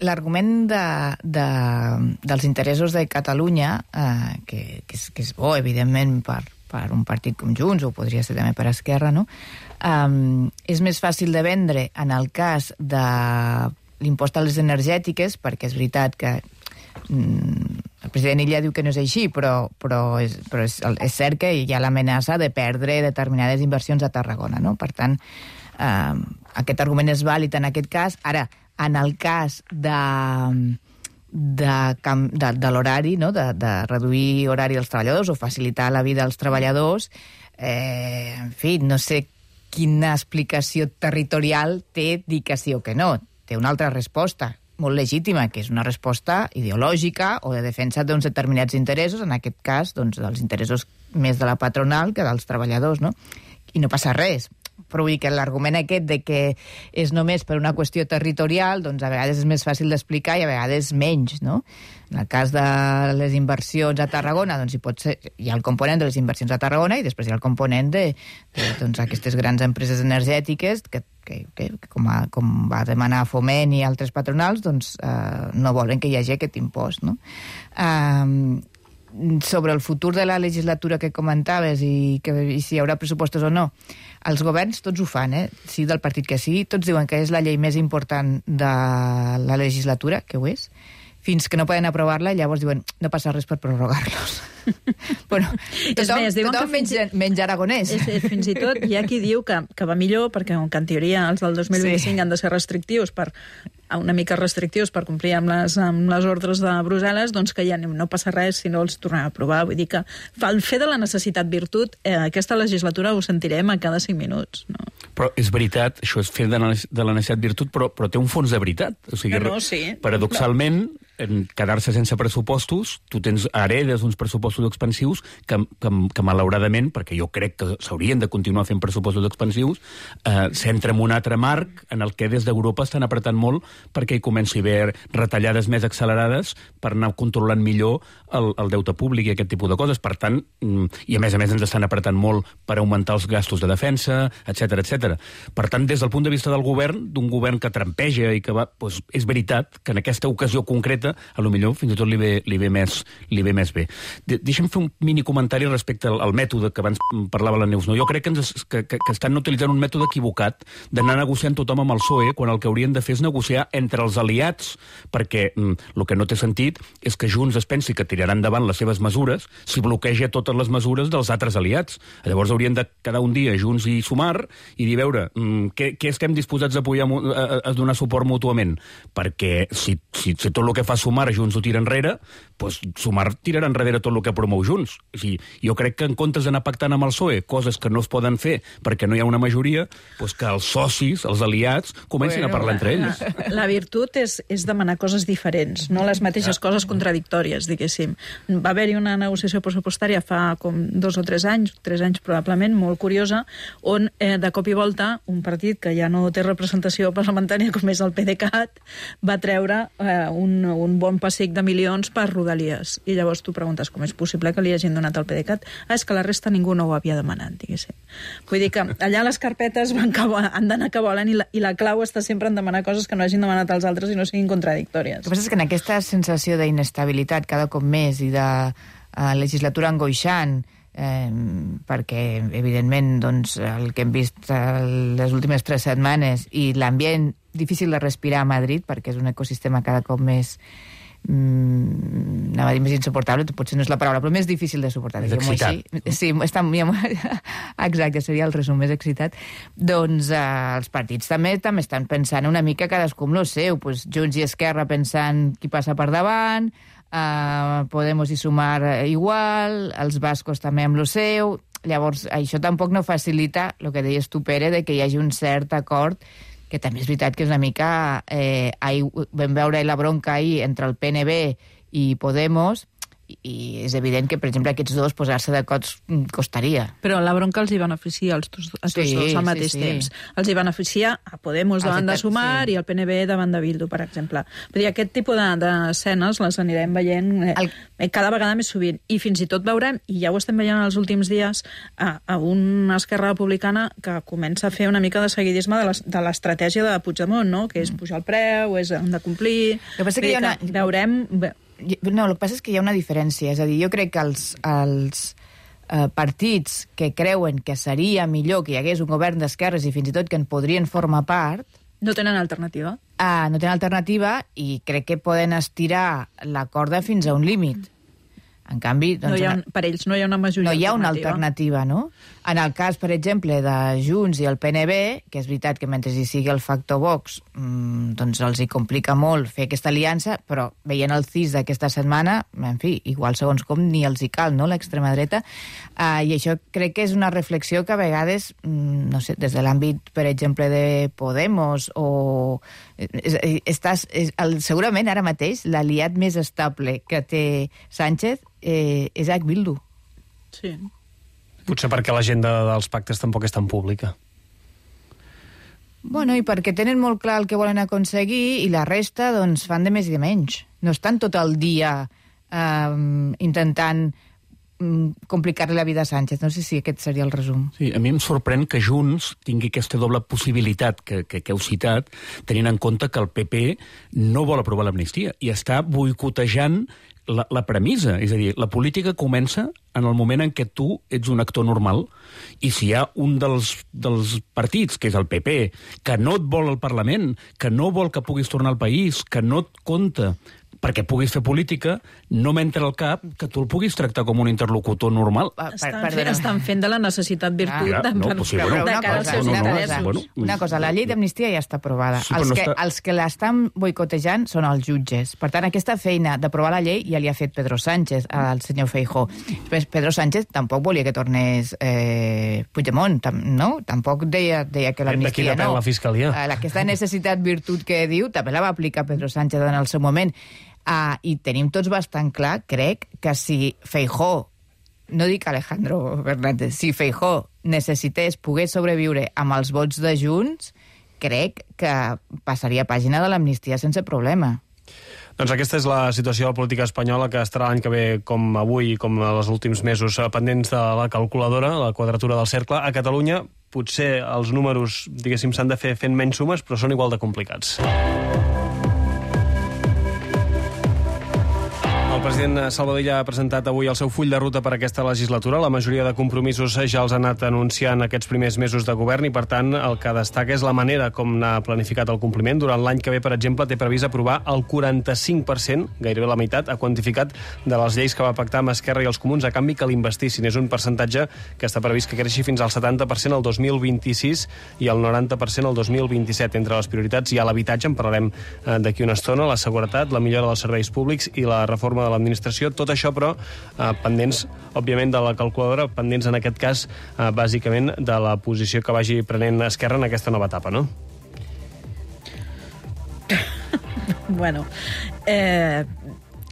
L'argument dels interessos de Catalunya, que és bo, evidentment, per un partit com Junts, o podria ser també per Esquerra, no? És més fàcil de vendre en el cas de l'impost a les energètiques, perquè és veritat que el president Illa diu que no és així, però és cert que hi ha l'amenaça de perdre determinades inversions a Tarragona, no? Per tant, aquest argument és vàlid en aquest cas. Ara, en el cas de l'horari, no? de reduir horari als treballadors o facilitar la vida als treballadors, en fi, no sé quina explicació territorial té dir que sí o que no. Té una altra resposta, molt legítima, que és una resposta ideològica o de defensa d'uns determinats interessos, en aquest cas, doncs, dels interessos més de la patronal que dels treballadors, no? I no passa res. Però vull dir que l'argument aquest de que és només per una qüestió territorial, doncs a vegades és més fàcil d'explicar i a vegades menys, no? En el cas de les inversions a Tarragona, doncs hi ha el component de les inversions a Tarragona i després hi ha el component de aquestes grans empreses energètiques que com va demanar Foment i altres patronals, doncs no volen que hi hagi aquest impost, no? sobre el futur de la legislatura que comentaves i si hi haurà pressupostos o no, els governs tots ho fan, sigui del partit que sigui, tots diuen que és la llei més important de la legislatura, que ho és, fins que no poden aprovar-la i llavors diuen no passa res per prorrogar-los. Bueno, tothom menys aragonès. Fins i tot hi ha qui diu que va millor perquè en teoria els del 2025 han de ser restrictius una mica restrictius per complir amb les ordres de Brussel·les, doncs que ja no passa res si no els tornem a aprovar. Vull dir que el fer de la necessitat virtut, aquesta legislatura ho sentirem a cada 5 minuts. No? Però és veritat, això és fer de la necessitat virtut, però té un fons de veritat. O sigui, sí. Paradoxalment, en quedar-se sense pressupostos, tu heredes uns pressupostos expansius que malauradament, perquè jo crec que s'haurien de continuar fent pressupostos expansius, s'entra en un altre marc en el que des d'Europa estan apretant molt perquè hi comenci a haver retallades més accelerades per anar controlant millor el deute públic i aquest tipus de coses. Per tant, i a més ens estan apretant molt per augmentar els gastos de defensa, etc etc. Per tant, des del punt de vista del govern, d'un govern que trampeja i que va... Doncs és veritat que en aquesta ocasió concreta a lo millor fins i tot li ve més bé. Deixa'm fer un mini comentari respecte al mètode que abans parlava la Neus. Jo crec que estan utilitzant un mètode equivocat d'anar negociant tothom amb el PSOE quan el que haurien de fer és negociar entre els aliats, perquè el que no té sentit és que Junts es pensi que tiraran endavant les seves mesures si bloqueja totes les mesures dels altres aliats. Llavors haurien de quedar un dia Junts i Sumar i dir, veure, què estem disposats a apoyar, a donar suport mútuament? Perquè si tot el que fa Sumar Junts ho tira enrere, doncs Sumar tirarà enrere tot el que promou Junts. O sigui, jo crec que en comptes d'anar pactant amb el PSOE coses que no es poden fer perquè no hi ha una majoria, doncs que els socis, els aliats, comencin a parlar entre ells. La virtut és demanar coses diferents, no les mateixes coses contradictòries, diguéssim. Va haver-hi una negociació pressupostària fa com 2 o 3 anys probablement, molt curiosa, on de cop i volta un partit que ja no té representació parlamentària com és el PDeCAT va treure un bon pessic de milions per Rodalies. I llavors tu preguntes com és possible que li hagin donat al PDeCAT? És que la resta ningú no ho havia demanat, diguéssim. Vull dir que allà les carpetes han d'anar que volen i la clau està sempre en demanar coses que no hagin demanat als altres i no siguin contradictòries. El que passa és que en aquesta sensació d'inestabilitat cada cop més i de legislatura angoixant, perquè evidentment doncs, el que hem vist les últimes 3 setmanes i l'ambient difícil de respirar a Madrid, perquè és un ecosistema cada cop més anava a dir més insuportable, potser no és la paraula, però més difícil de suportar. És excitat. Sí, exacte, seria el resum, més excitat. Doncs els partits també estan pensant una mica cadascú amb lo seu, doncs Junts i Esquerra pensant qui passa per davant, Podemos i Sumar igual, els bascos també amb lo seu. Llavors, això tampoc no facilita el que deies tu, Pere, de que hi hagi un cert acord, que també és veritat que és una mica... vam veure la bronca ahir entre el PNB i Podemos, i és evident que, per exemple, aquests dos posar-se d'acord costaria. Però la bronca els hi beneficia a tots dos al mateix temps. Els hi beneficia a Podemos davant de Sumar i al PNB davant de Bildu, per exemple. Vull dir, aquest tipus d'escenes les anirem veient cada vegada més sovint. I fins i tot veurem, i ja ho estem veient els últims dies, a una Esquerra Republicana que comença a fer una mica de seguidisme de l'estratègia de Puigdemont, no? Que és pujar el preu, hem de complir... El que passa que veurem... No, el que passa és que hi ha una diferència. És a dir, jo crec que els partits que creuen que seria millor que hi hagués un govern d'esquerres i fins i tot que en podrien formar part... No tenen alternativa. No tenen alternativa i crec que poden estirar la corda fins a un límit. En canvi... Doncs, per ells no hi ha una majoria alternativa. No hi ha una alternativa, no? En el cas, per exemple, de Junts i el PNB, que és veritat que mentre hi sigui el factor Vox, doncs els hi complica molt fer aquesta aliança, però veient el CIS d'aquesta setmana, en fi, igual segons com ni els hi cal, no?, l'extrema dreta, i això crec que és una reflexió que a vegades, no sé, des de l'àmbit, per exemple, de Podemos o... segurament ara mateix l'aliat més estable que té Sánchez és Bildu. Sí. Potser perquè l'agenda dels pactes tampoc és tan pública. Bueno, i perquè tenen molt clar el que volen aconseguir i la resta, doncs, fan de més i de menys. No estan tot el dia intentant complicar-li la vida a Sánchez. No sé si aquest seria el resum. Sí, a mi em sorprèn que Junts tingui aquesta doble possibilitat que heu citat, tenint en compte que el PP no vol aprovar l'amnistia i està boicotejant la premissa. És a dir, la política comença en el moment en què tu ets un actor normal i si hi ha un dels partits, que és el PP, que no et vol al Parlament, que no vol que puguis tornar al país, que no et compta perquè puguis fer política, no m'entra al cap que tu el puguis tractar com un interlocutor normal. Estan fent de la necessitat virtut de cara als seus interessos. Una cosa, la llei d'amnistia ja està aprovada. Els que l'estan boicotejant són els jutges. Per tant, aquesta feina d'aprovar la llei ja li ha fet Pedro Sánchez al senyor Feijóo. Pedro Sánchez tampoc volia que tornés Puigdemont, no? Tampoc deia que l'amnistia no. D'aquí depèn la Fiscalia. Aquesta necessitat virtut que diu també la va aplicar Pedro Sánchez en el seu moment. I tenim tots bastant clar, crec, que si Feijóo, no dic Alejandro Fernández, si Feijóo necessités poder sobreviure amb els vots de Junts, crec que passaria pàgina de l'amnistia sense problema. Doncs aquesta és la situació de la política espanyola, que estarà l'any que ve, com avui, com els últims mesos, pendents de la calculadora, la quadratura del cercle. A Catalunya potser els números, diguéssim, s'han de fer fent menys sumes, però són igual de complicats. El president Salvador Illa ha presentat avui el seu full de ruta per aquesta legislatura. La majoria de compromisos ja els ha anat anunciant aquests primers mesos de govern i, per tant, el que destaca és la manera com n'ha planificat el compliment. Durant l'any que ve, per exemple, té previst aprovar el 45%, gairebé la meitat, ha quantificat, de les lleis que va pactar amb Esquerra i els Comuns a canvi que l'investissin. És un percentatge que està previst que creixi fins al 70% el 2026 i el 90% el 2027. Entre les prioritats hi ha l'habitatge, en parlarem d'aquí una estona, la seguretat, la millora dels serveis públics i la reforma de l'administració. Tot això, però, pendents, òbviament, de la calculadora, pendents, en aquest cas, bàsicament, de la posició que vagi prenent Esquerra en aquesta nova etapa, no? Bueno,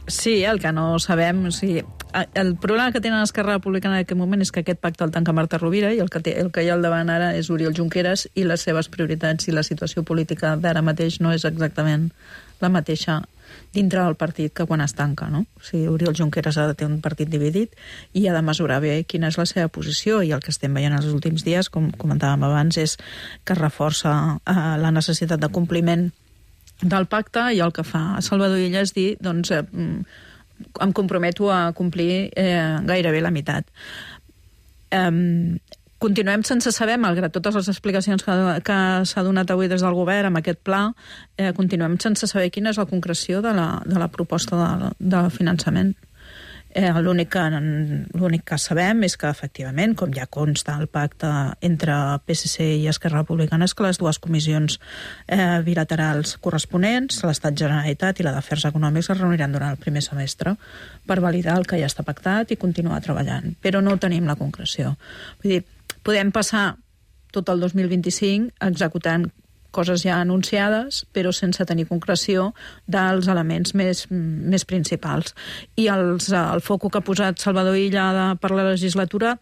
sí, el que no sabem... El problema que tenen Esquerra Republicana en aquest moment és que aquest pacte el tanca Marta Rovira i el que hi ha al davant ara és Oriol Junqueras i les seves prioritats i la situació política d'ara mateix no és exactament la mateixa dintre del partit que quan es tanca, no? O sigui, Oriol Junqueras ha de tenir un partit dividit i ha de mesurar bé quina és la seva posició, i el que estem veient els últims dies, com comentàvem abans, és que reforça la necessitat de compliment del pacte, i el que fa Salvador Illa és dir, doncs, em comprometo a complir gairebé la meitat. Continuem sense saber, malgrat totes les explicacions que s'ha donat avui des del govern amb aquest pla, continuem sense saber quina és la concreció de la proposta de finançament. L'únic que sabem és que, efectivament, com ja consta el pacte entre PSC i Esquerra Republicana, és que les dues comissions bilaterals corresponents, l'Estat Generalitat i la d'Afers Econòmics, es reuniran durant el primer semestre per validar el que ja està pactat i continuar treballant. Però no tenim la concreció. Vull dir, podem passar tot el 2025 executant coses ja anunciades, però sense tenir concreció dels elements més principals. I el foco que ha posat Salvador Illa per la legislatura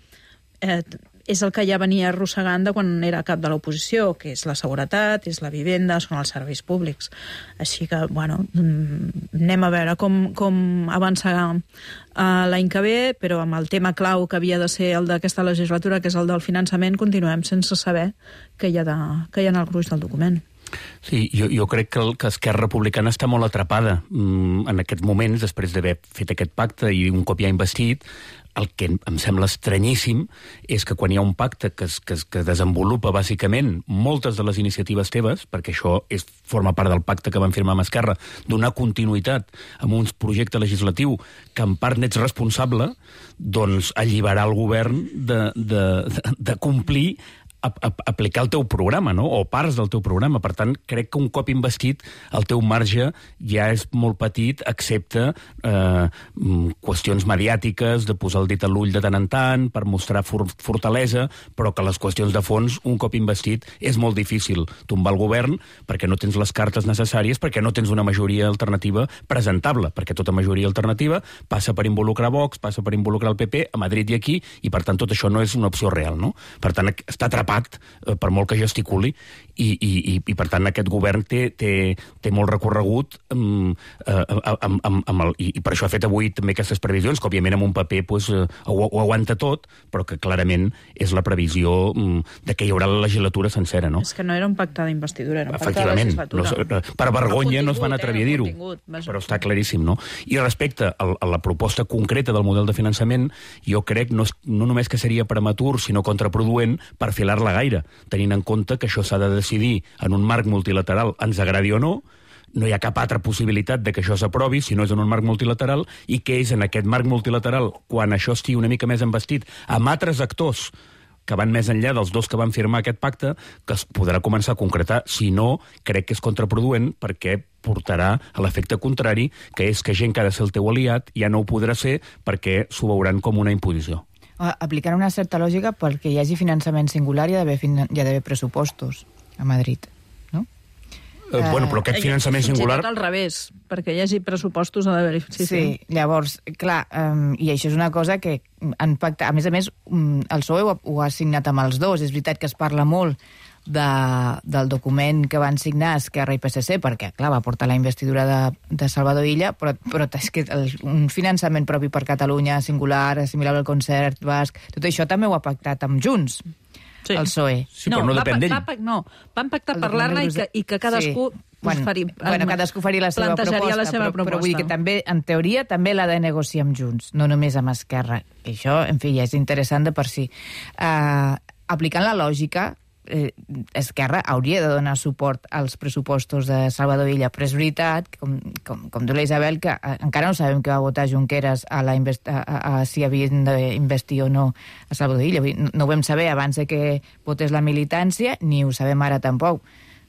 és el que ja venia arrossegant de quan era cap de l'oposició, que és la seguretat, és la vivenda, són els serveis públics. Així que, bueno, anem a veure com avançarà l'any que ve, però amb el tema clau que havia de ser el d'aquesta legislatura, que és el del finançament, continuem sense saber què hi ha en el gruix del document. Sí, jo crec que Esquerra Republicana està molt atrapada en aquests moments, després d'haver fet aquest pacte i un cop ja investit. El que em sembla estranyíssim és que quan hi ha un pacte que desenvolupa bàsicament moltes de les iniciatives teves, perquè això forma part del pacte que van firmar amb Esquerra, donar continuïtat a un projecte legislatiu que en part n'ets responsable, doncs alliberar el govern de complir aplicar el teu programa, no? O parts del teu programa. Per tant, crec que un cop investit el teu marge ja és molt petit, excepte qüestions mediàtiques, de posar el dit a l'ull de tant en tant, per mostrar fortalesa, però que les qüestions de fons, un cop investit, és molt difícil tombar el govern perquè no tens les cartes necessàries, perquè no tens una majoria alternativa presentable, perquè tota majoria alternativa passa per involucrar Vox, passa per involucrar el PP a Madrid i aquí, i per tant tot això no és una opció real, no? Per tant, està atrapat tapat, per molt que gesticuli, i per tant aquest govern té molt recorregut i per això ha fet avui també aquestes previsions, que òbviament en un paper ho aguanta tot, però que clarament és la previsió de que hi haurà la legislatura sencera, no? És que no era un pacte d'investidura, era un pacte de legislatura. Per vergonya no es van atrevir a dir-ho, però està claríssim, no? I respecte a la proposta concreta del model de finançament, jo crec no només que seria prematur, sinó contraproduent perfilar-la gaire, tenint en compte que això s'ha de decidir en un marc multilateral, ens agradi o no, no hi ha cap altra possibilitat de que això s'aprovi si no és en un marc multilateral, i que és en aquest marc multilateral, quan això estigui una mica més embastit amb altres actors que van més enllà dels dos que van firmar aquest pacte, que es podrà començar a concretar. Si no, crec que és contraproduent, perquè portarà a l'efecte contrari, que és que gent que ha de ser el teu aliat ja no ho podrà ser perquè s'ho veuran com una imposició. Aplicar una certa lògica perquè hi hagi finançament singular i hi ha d'haver pressupostos a Madrid, no? Però aquest finançament singular... Fins i tot al revés, perquè hi hagi pressupostos ha d'haver-hi... Sí, llavors, clar, i això és una cosa que han pactat... A més, el PSOE ho ha signat amb els dos. És veritat que es parla molt del document que van signar Esquerra i PSC, perquè, clar, va portar la investidura de Salvador Illa, però és que un finançament propi per Catalunya, singular, assimilable al concert basc, tot això també ho ha pactat amb Junts, el PSOE. Sí, però no depèn d'ell. Van pactar parlar-ne i que cadascú... cadascú faria la seva proposta, però vull dir que també, en teoria, també l'ha de negociar amb Junts, no només amb Esquerra. I això, en fi, ja és interessant de per si. Aplicant la lògica, Esquerra hauria de donar suport als pressupostos de Salvador Illa, però és veritat, com diu la Isabel, que encara no sabem què va votar Junqueras si havien d'investir o no a Salvador Illa. No ho vam saber abans de que votés la militància, ni ho sabem ara tampoc,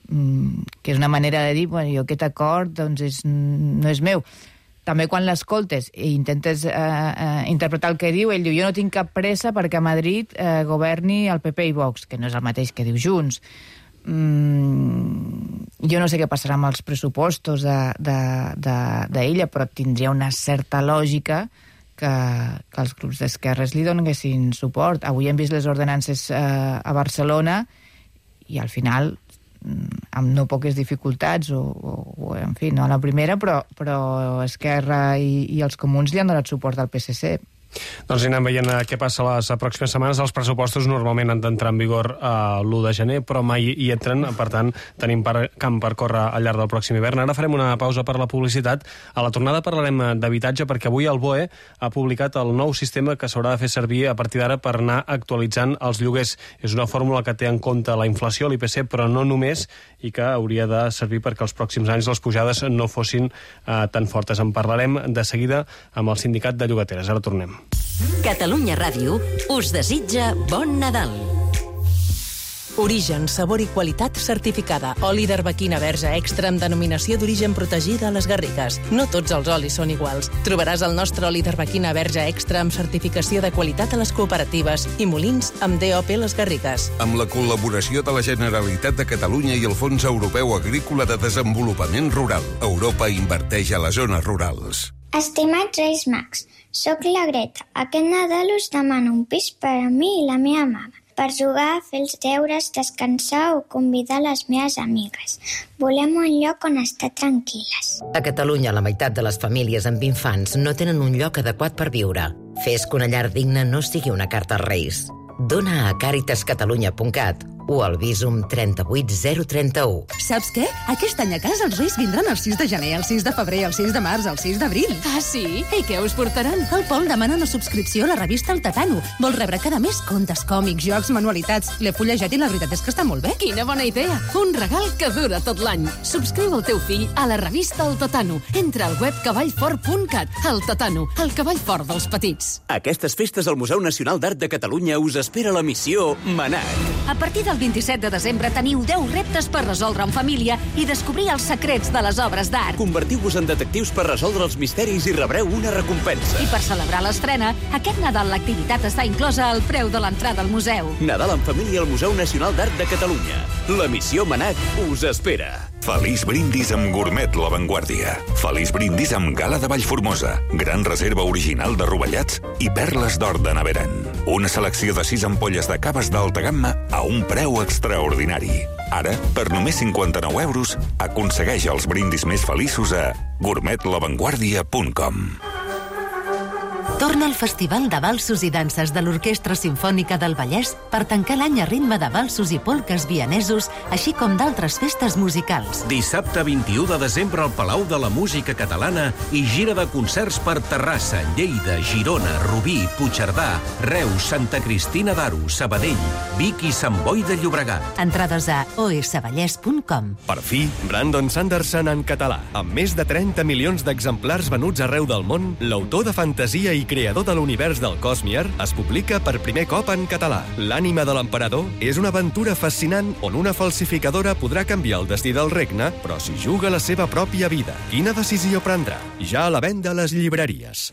que és una manera de dir, jo aquest acord no és meu. També quan l'escoltes i intentes interpretar el que diu, ell diu, jo no tinc cap pressa perquè a Madrid governi el PP i Vox, que no és el mateix que diu Junts. Jo no sé què passarà amb els pressupostos d'ella, però tindria una certa lògica que els grups d'esquerres li donessin suport. Avui hem vist les ordenances a Barcelona i al final amb no poques dificultats, o en fi, no a la primera, però Esquerra i els comuns li han donat suport al PSC. Doncs anem veient què passa les pròximes setmanes. Els pressupostos normalment han d'entrar en vigor l'1 de gener, però mai hi entren, per tant, tenim camp per córrer al llarg del pròxim hivern. Ara farem una pausa per la publicitat. A la tornada parlarem d'habitatge, perquè avui el BOE ha publicat el nou sistema que s'haurà de fer servir a partir d'ara per anar actualitzant els lloguers. És una fórmula que té en compte la inflació, l'IPC, però no només, i que hauria de servir perquè els pròxims anys les pujades no fossin tan fortes. En parlarem de seguida amb el sindicat de llogateres. Ara tornem. Catalunya Ràdio us desitja bon Nadal. Origen, sabor i qualitat certificada. Oli d'arbequina verge extra amb denominació d'origen protegida a les Garrigues. No tots els olis són iguals. Trobaràs el nostre oli d'arbequina verge extra amb certificació de qualitat a les cooperatives i molins amb DOP Les Garrigues. Amb la col·laboració de la Generalitat de Catalunya i el Fons Europeu Agrícola de Desenvolupament Rural. Europa inverteix a les zones rurals. Estimats Reis Mags, soc la Greta. Aquest Nadal us demano un pis per a mi i la meva mama, per jugar, fer els deures, descansar o convidar les meves amigues. Volem un lloc on estar tranquil·les. A Catalunya, la meitat de les famílies amb infants no tenen un lloc adequat per viure. Fes que una llar digna no sigui una carta als Reis. Dona a caritascatalunya.cat o al Visum 38031. Saps què? Aquest any a casa els Reis vindran el 6 de gener, el 6 de febrer, el 6 de març, el 6 d'abril. Ah, sí? I què us portaran? El Pol demana una subscripció a la revista El Tatano. Vol rebre cada mes contes, còmics, jocs, manualitats. L'he fullejat i la veritat és que està molt bé. Quina bona idea! Un regal que dura tot l'any. Subscriu el teu fill a la revista El Tatano. Entra al web cavallfort.cat. El Tatano, el cavall fort dels petits. Aquestes festes al Museu Nacional d'Art de Catalunya us espera la missió Manac. A partir del 27 de desembre teniu 10 reptes per resoldre en família i descobrir els secrets de les obres d'art. Convertiu-vos en detectius per resoldre els misteris i rebreu una recompensa. I per celebrar l'estrena, aquest Nadal l'activitat està inclosa al preu de l'entrada al museu. Nadal en família al Museu Nacional d'Art de Catalunya. La missió Manac us espera. Feliç brindis amb Gourmet La Vanguardia. Feliç brindis amb gala de Vallformosa, gran reserva original de rovellats i perles d'or de Naveran. Una selecció de 6 ampolles de caves d'alta gamma a un preu extraordinari. Ara, per només 59 euros, aconsegueix els brindis més feliços a gourmetlavanguardia.com. Torna al Festival de Valsos i Danses de l'Orquestra Simfònica del Vallès per tancar l'any a ritme de valsos i polques vienesos, així com d'altres festes musicals. Dissabte 21 de desembre al Palau de la Música Catalana i gira de concerts per Terrassa, Lleida, Girona, Rubí, Puigcerdà, Reus, Santa Cristina d'Aro, Sabadell, Vic i Sant Boi de Llobregat. Entrades a osvallès.com. Per fi, Brandon Sanderson en català. Amb més de 30 milions d'exemplars venuts arreu del món, l'autor de fantasia i creador de l'univers del Cosmier, es publica per primer cop en català. L'ànima de l'emperador és una aventura fascinant on una falsificadora podrà canviar el destí del regne, però si juga la seva pròpia vida. Quina decisió prendrà? Ja a la venda a les llibreries.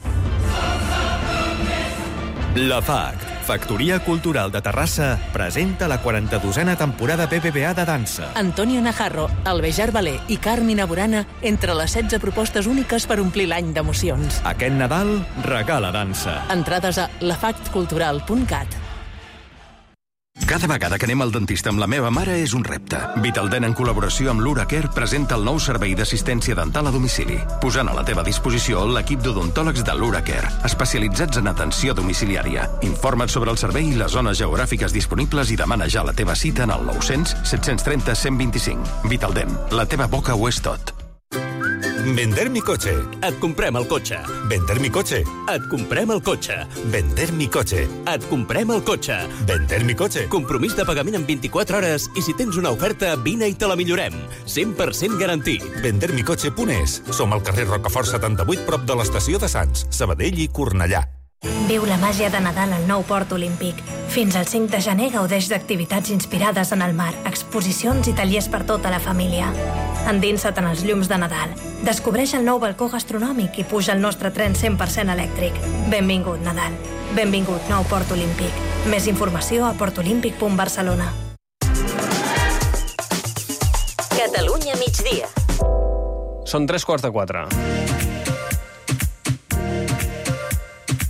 La FACT, Factoria Cultural de Terrassa, presenta la 42a temporada BBVA de dansa. Antonio Najarro, Albejar Balé i Carmina Burana entre les 16 propostes úniques per omplir l'any d'emocions. Aquest Nadal, regala dansa. Entrades a lafactcultural.cat. Cada vegada que anem al dentista amb la meva mare és un repte. Vitaldent, en col·laboració amb l'Uracare, presenta el nou servei d'assistència dental a domicili, posant a la teva disposició l'equip d'odontòlegs de l'Uracare, especialitzats en atenció domiciliària. Informa't sobre el servei i les zones geogràfiques disponibles i demana ja la teva cita en el 900 730 125. Vitaldent, la teva boca ho és tot. Vender mi coche. Et comprem el cotxe. Vender mi coche. Et comprem el cotxe. Vender mi coche. Et comprem el cotxe. Vender mi coche. Compromís de pagament en 24 hores i si tens una oferta, vine i te la millorem. 100% garantit. Vendermicoche.es. Som al carrer Rocafort 78, prop de l'estació de Sants, Sabadell i Cornellà. Viu la màgia de Nadal al nou Port Olímpic. Fins al 5 de gener gaudeix d'activitats inspirades en el mar, exposicions i tallers per tota la família. Endinsa't en els llums de Nadal. Descobreix el nou balcó gastronòmic i puja al nostre tren 100% elèctric. Benvingut, Nadal. Benvingut, nou Port Olímpic. Més informació a portolímpic.barcelona. Catalunya migdia. Són 3:45.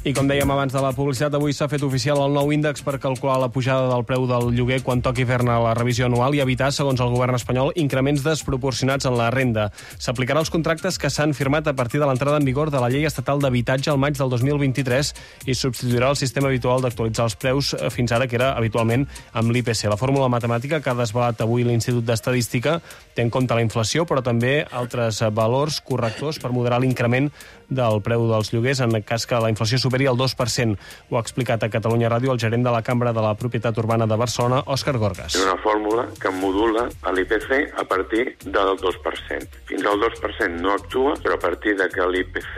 I com dèiem abans de la publicitat, avui s'ha fet oficial el nou índex per calcular la pujada del preu del lloguer quan toqui fer-ne la revisió anual i evitar, segons el govern espanyol, increments desproporcionats en la renda. S'aplicarà als contractes que s'han firmat a partir de l'entrada en vigor de la Llei Estatal d'Habitatge al maig del 2023 i substituirà el sistema habitual d'actualitzar els preus fins ara, que era habitualment amb l'IPC. La fórmula matemàtica que ha desvelat avui l'Institut d'Estadística té en compte la inflació, però també altres valors correctors per moderar l'increment del preu dels lloguers en cas que la inflació superi el 2%. Ho ha explicat a Catalunya Ràdio el gerent de la Cambra de la Propietat Urbana de Barcelona, Òscar Gorgas. És una fórmula que modula l'IPC a partir del 2%. Fins al 2% no actua, però a partir de que l'IPC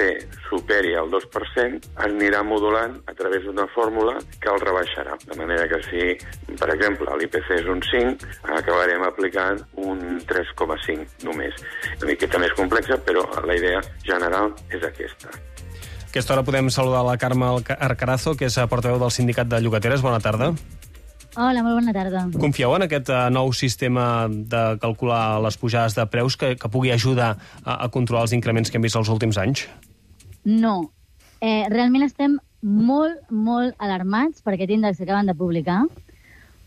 superi el 2% anirà modulant a través d'una fórmula que el rebaixarà. De manera que si, per exemple, l'IPC és un 5, acabarem aplicant un 3,5 només. Una miqueta més complexa, però la idea general és aquesta. A aquesta hora podem saludar la Carme Arcarazo, que és portaveu del Sindicat de Llogateres. Bona tarda. Hola, molt bona tarda. Confieu en aquest nou sistema de calcular les pujades de preus que pugui ajudar a controlar els increments que hem vist els últims anys? No. Realment estem molt alarmats per aquest índex que acaben de publicar,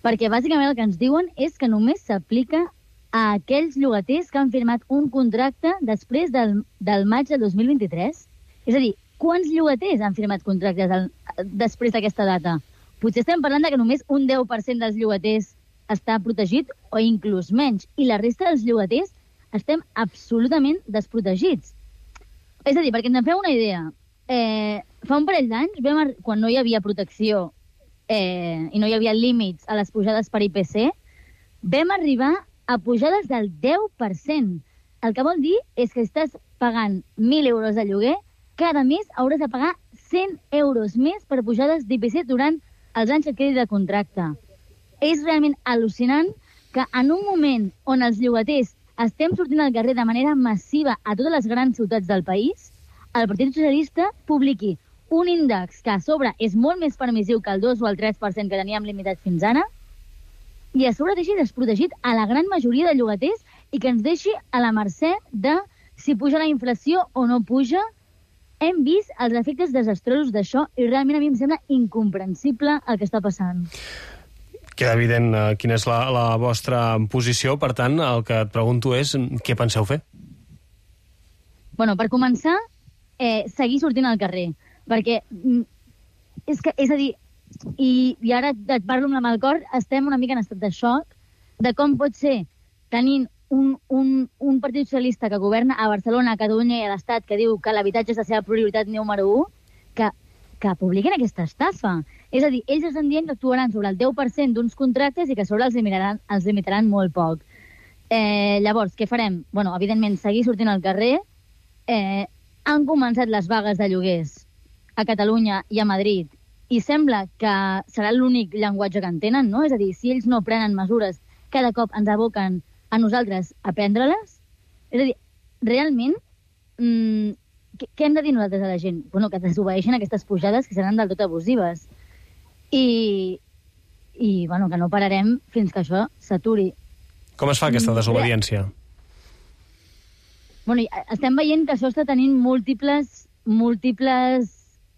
perquè bàsicament el que ens diuen és que només s'aplica a aquells llogaters que han firmat un contracte després del maig del 2023. És a dir, quants llogaters han firmat contractes després d'aquesta data? Potser estem parlant que només un 10% dels llogaters està protegit o inclús menys, i la resta dels llogaters estem absolutament desprotegits. És a dir, perquè ens en feu una idea, fa un parell d'anys, quan no hi havia protecció i no hi havia límits a les pujades per IPC, vam arribar a pujades del 10%. El que vol dir és que estàs pagant 1.000 euros de lloguer, cada mes hauràs de pagar 100 euros més per pujades d'IPC durant els anys que et quedi de contracte. És realment al·lucinant que en un moment on els llogaters estem sortint al carrer de manera massiva a totes les grans ciutats del país, el Partit Socialista publiqui un índex que a sobre és molt més permissiu que el 2 o el 3% que teníem limitat fins ara, i a sobre deixi desprotegit a la gran majoria de llogaters i que ens deixi a la mercè de si puja la inflació o no puja. Hem vist els efectes desastrosos d'això i realment a mi em sembla incomprensible el que està passant. Queda evident quina és la vostra posició, per tant, el que et pregunto és què penseu fer? Bueno, per començar, seguir sortint al carrer, perquè és a dir, i ara et parlo amb la mà al cor, estem una mica en estat de xoc de com pot ser tenint un partit socialista que governa a Barcelona, a Catalunya i a l'Estat, que diu que l'habitatge és la seva prioritat número 1, que publiquen aquesta estafa. És a dir, ells estan dient que actuaran sobre el 10% d'uns contractes i que sobre els limitaran molt poc. Llavors, què farem? Bueno, evidentment, seguir sortint al carrer. Han començat les vagues de lloguers a Catalunya i a Madrid i sembla que serà l'únic llenguatge que entenen, no? És a dir, si ells no prenen mesures, cada cop ens aboquen a nosaltres a prendre-les. És a dir, realment, què hem de dir nosaltres a la gent? Bueno, que desobeeixen aquestes pujades que seran del tot abusives. I bueno, que no pararem fins que això s'aturi. Com es fa aquesta desobediència? Bueno, estem veient que això està tenint múltiples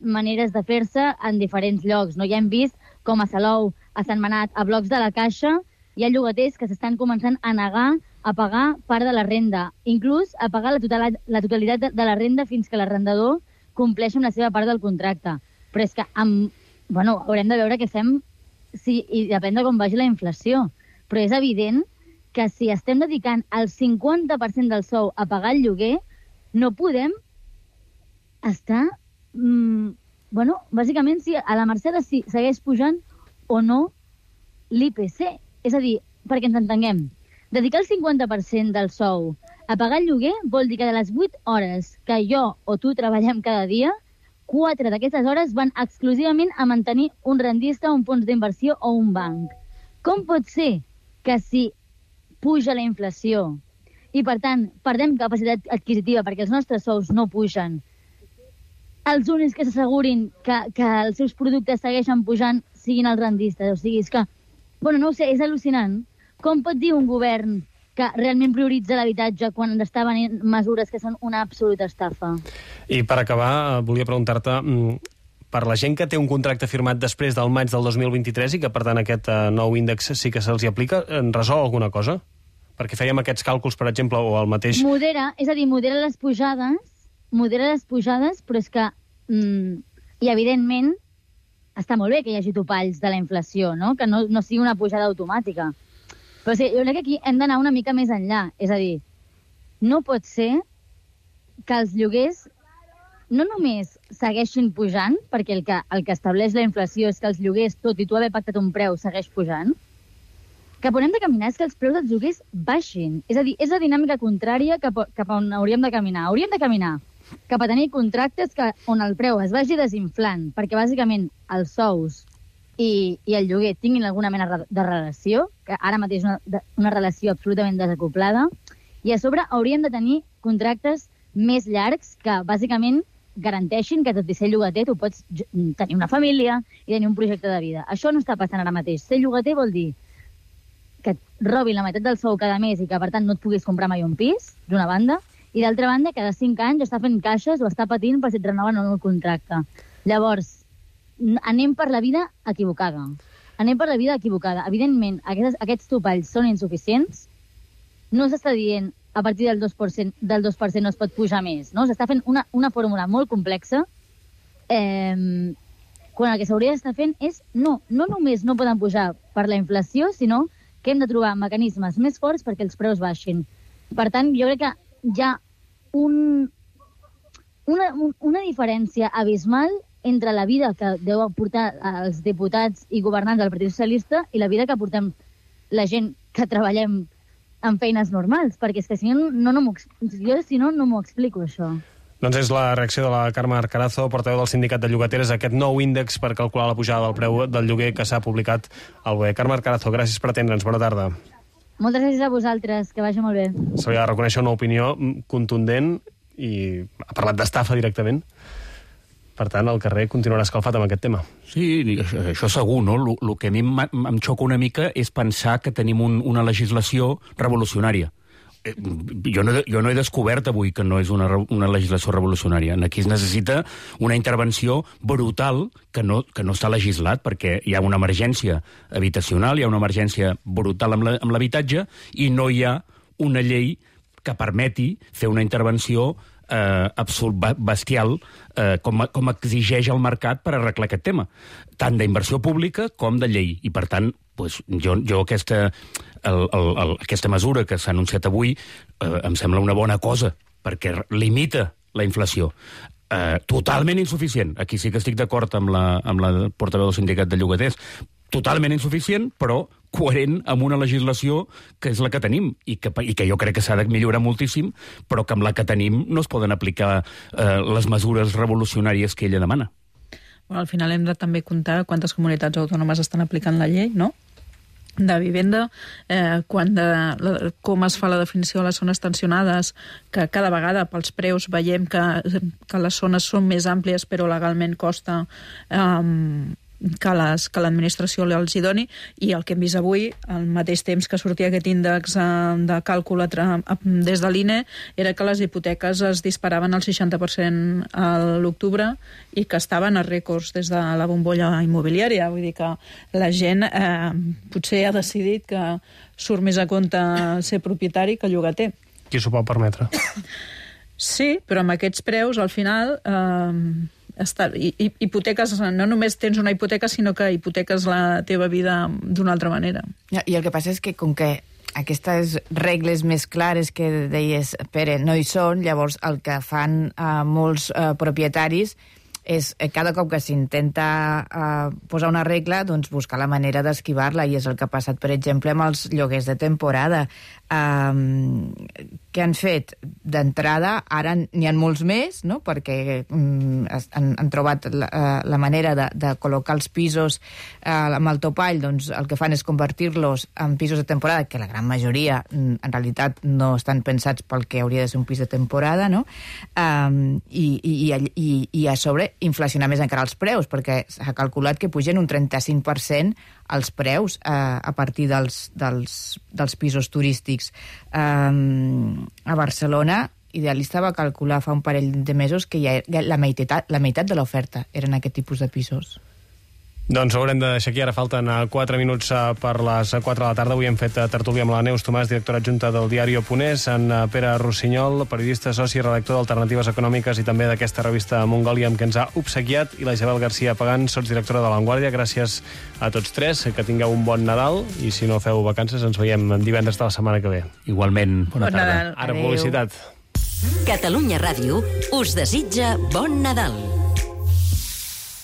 maneres de fer-se en diferents llocs. No? Ja hem vist com a Salou, a Sant Manat, a blocs de la Caixa, hi ha llogaters que s'estan començant a negar a pagar part de la renda, inclús a pagar la totalitat de la renda fins que l'arrendador compleixi amb la seva part del contracte. Però és que haurem de veure què fem i depèn de com vagi la inflació. Però és evident que si estem dedicant el 50% del sou a pagar el lloguer, no podem estar, bàsicament, a la mercè de si segueix pujant o no l'IPC. És a dir, perquè ens entenguem, dedicar el 50% del sou a pagar el lloguer vol dir que de les 8 hores que jo o tu treballem cada dia, 4 d'aquestes hores van exclusivament a mantenir un rendista, un fons d'inversió o un banc. Com pot ser que si puja la inflació i, per tant, perdem capacitat adquisitiva perquè els nostres sous no pugen, els únics que s'assegurin que els seus productes segueixen pujant siguin els rendistes? O sigui, és que, no ho sé, és al·lucinant. Com pot dir un govern que realment prioritza l'habitatge quan està venint mesures que són una absoluta estafa? I per acabar, volia preguntar-te, per la gent que té un contracte firmat després del maig del 2023 i que, per tant, aquest nou índex sí que se'ls aplica, en resol alguna cosa? Perquè fèiem aquests càlculs, per exemple, o el mateix... Modera les pujades, però és que, i evidentment, està molt bé que hi hagi topalls de la inflació, no? Que no sigui una pujada automàtica. Però sí, jo crec que aquí hem d'anar una mica més enllà. És a dir, no pot ser que els lloguers no només segueixin pujant, perquè el que estableix la inflació és que els lloguers, tot i tu haver pactat un preu, segueix pujant. Cap on hem de caminar és que els preus dels lloguers baixin. És a dir, és la dinàmica contrària cap on hauríem de caminar. Hauríem de caminar cap a tenir contractes on el preu es vagi desinflant, perquè bàsicament els sous i el lloguer tinguin alguna mena de relació, que ara mateix és una relació absolutament desacoblada, i a sobre hauríem de tenir contractes més llargs que bàsicament garanteixin que tot i ser llogater tu pots tenir una família i tenir un projecte de vida. Això no està passant ara mateix. Ser llogater vol dir que et robin la meitat del sou cada mes i que, per tant, no et puguis comprar mai un pis, d'una banda, i d'altra banda, cada 5 anys està fent caixes o està patint per si et renoven o no el contracte. Llavors, anem per la vida equivocada. Evidentment, aquests topalls són insuficients. No s'està dient a partir del 2% no es pot pujar més, no? S'està fent una fórmula molt complexa quan el que s'hauria d'estar fent és no només no poden pujar per la inflació, sinó que hem de trobar mecanismes més forts perquè els preus baixin. Per tant, jo crec que hi ha una diferència abismal entre la vida que deu portar els diputats i governants del Partit Socialista i la vida que portem la gent que treballem en feines normals, perquè és que si no m'ho explico, això. Doncs és la reacció de la Carme Arcarazo, portaveu del Sindicat de Llogateres, a aquest nou índex per calcular la pujada del preu del lloguer que s'ha publicat al BOE. Carme Arcarazo, gràcies per atendre'ns. Bona tarda. Moltes gràcies a vosaltres, que vagi molt bé. Se li ha de reconèixer una opinió contundent i ha parlat d'estafa directament. Per tant, el carrer continuarà escalfat amb aquest tema. Sí, això segur, no? El que a mi em xoca una mica és pensar que tenim una legislació revolucionària, jo no he descobert avui que no és una legislació revolucionària. Aquí es necessita una intervenció brutal que no està legislat, perquè hi ha una emergència habitacional, hi ha una emergència brutal amb l'habitatge, i no hi ha una llei que permeti fer una intervenció bestial com exigeix el mercat per arreglar aquest tema, tant d'inversió pública com de llei. I, per tant, jo aquesta mesura que s'ha anunciat avui em sembla una bona cosa, perquè limita la inflació. Totalment insuficient. Aquí sí que estic d'acord amb la portaveu del sindicat de llogaters. Totalment insuficient, però coherent amb una legislació que és la que tenim i que jo crec que s'ha de millorar moltíssim, però que amb la que tenim no es poden aplicar les mesures revolucionàries que ella demana. Bueno, al final hem de també comptar quantes comunitats autònomes estan aplicant la llei, no?, de vivenda, com es fa la definició de les zones tensionades, que cada vegada pels preus veiem que les zones són més àmplies però legalment costa que l'administració els hi doni, i el que hem vist avui, al mateix temps que sortia aquest índex de càlcul des de l'INE, era que les hipoteques es disparaven al 60% a l'octubre i que estaven a rècords des de la bombolla immobiliària. Vull dir que la gent potser ha decidit que surt més a compte ser propietari que llogater. Qui s'ho pot permetre? Sí, però amb aquests preus, al final... hipoteques, no només tens una hipoteca, sinó que hipoteques la teva vida d'una altra manera. I el que passa és que, com que aquestes regles més clares que deies, Pere, no hi són, llavors el que fan molts propietaris és cada cop que s'intenta posar una regla, doncs buscar la manera d'esquivar-la, i és el que ha passat, per exemple, amb els lloguers de temporada. Què han fet? D'entrada, ara n'hi ha molts més, no?, perquè han trobat la manera de col·locar els pisos amb el topall, doncs el que fan és convertir-los en pisos de temporada, que la gran majoria en realitat no estan pensats pel que hauria de ser un pis de temporada, no?, i a sobre inflacionar més encara els preus, perquè s'ha calculat que pugen un 35% els preus a partir dels pisos turístics. A Barcelona, Idealista va calcular fa un parell de mesos que ja la meitat de l'oferta eren aquest tipus de pisos. Doncs haurem de deixar aquí, ara falten 4 minuts per les 4 de la tarda. Avui hem fet tertúlia amb la Neus Tomàs, directora adjunta del diari Oponés, en Pere Rossinyol, periodista, soci i redactor d'Alternatives Econòmiques i també d'aquesta revista Mongòlia, amb què ens ha obsequiat, i la Isabel García Pagán, sotsdirectora de La Vanguardia. Gràcies a tots tres, que tingueu un bon Nadal, i si no feu vacances ens veiem divendres de la setmana que ve. Igualment, bona tarda. Ara publicitat. Catalunya Ràdio us desitja bon Nadal.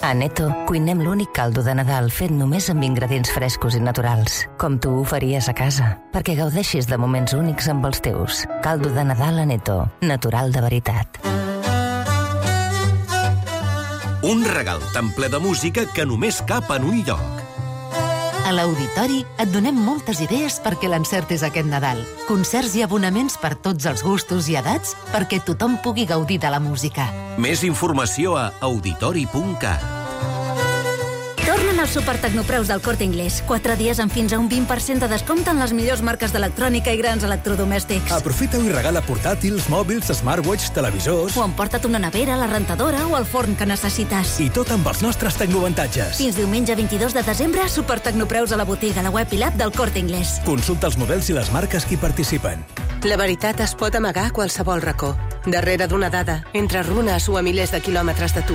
A Neto cuinem l'únic caldo de Nadal fet només amb ingredients frescos i naturals, com tu ho faries a casa, perquè gaudeixis de moments únics amb els teus. Caldo de Nadal a Neto, natural de veritat. Un regal tan ple de música que només cap en un lloc. A l'Auditori et donem moltes idees perquè l'encertis aquest Nadal. Concerts i abonaments per tots els gustos i edats perquè tothom pugui gaudir de la música. Més informació a auditori.cat. Tornen els supertecnopreus del Corte Inglés. 4 dies amb fins a un 20% de descompte en les millors marques d'electrònica i grans electrodomèstics. Aprofita-ho i regala portàtils, mòbils, smartwatch, televisors... O emporta't una nevera, la rentadora o el forn que necessites. I tot amb els nostres tecnoavantatges. Fins diumenge 22 de desembre, supertecnopreus a la botiga, la web i l'app del Corte Inglés. Consulta els models i les marques que hi participen. La veritat es pot amagar a qualsevol racó. Darrere d'una dada, entre runes o a milers de quilòmetres de tu.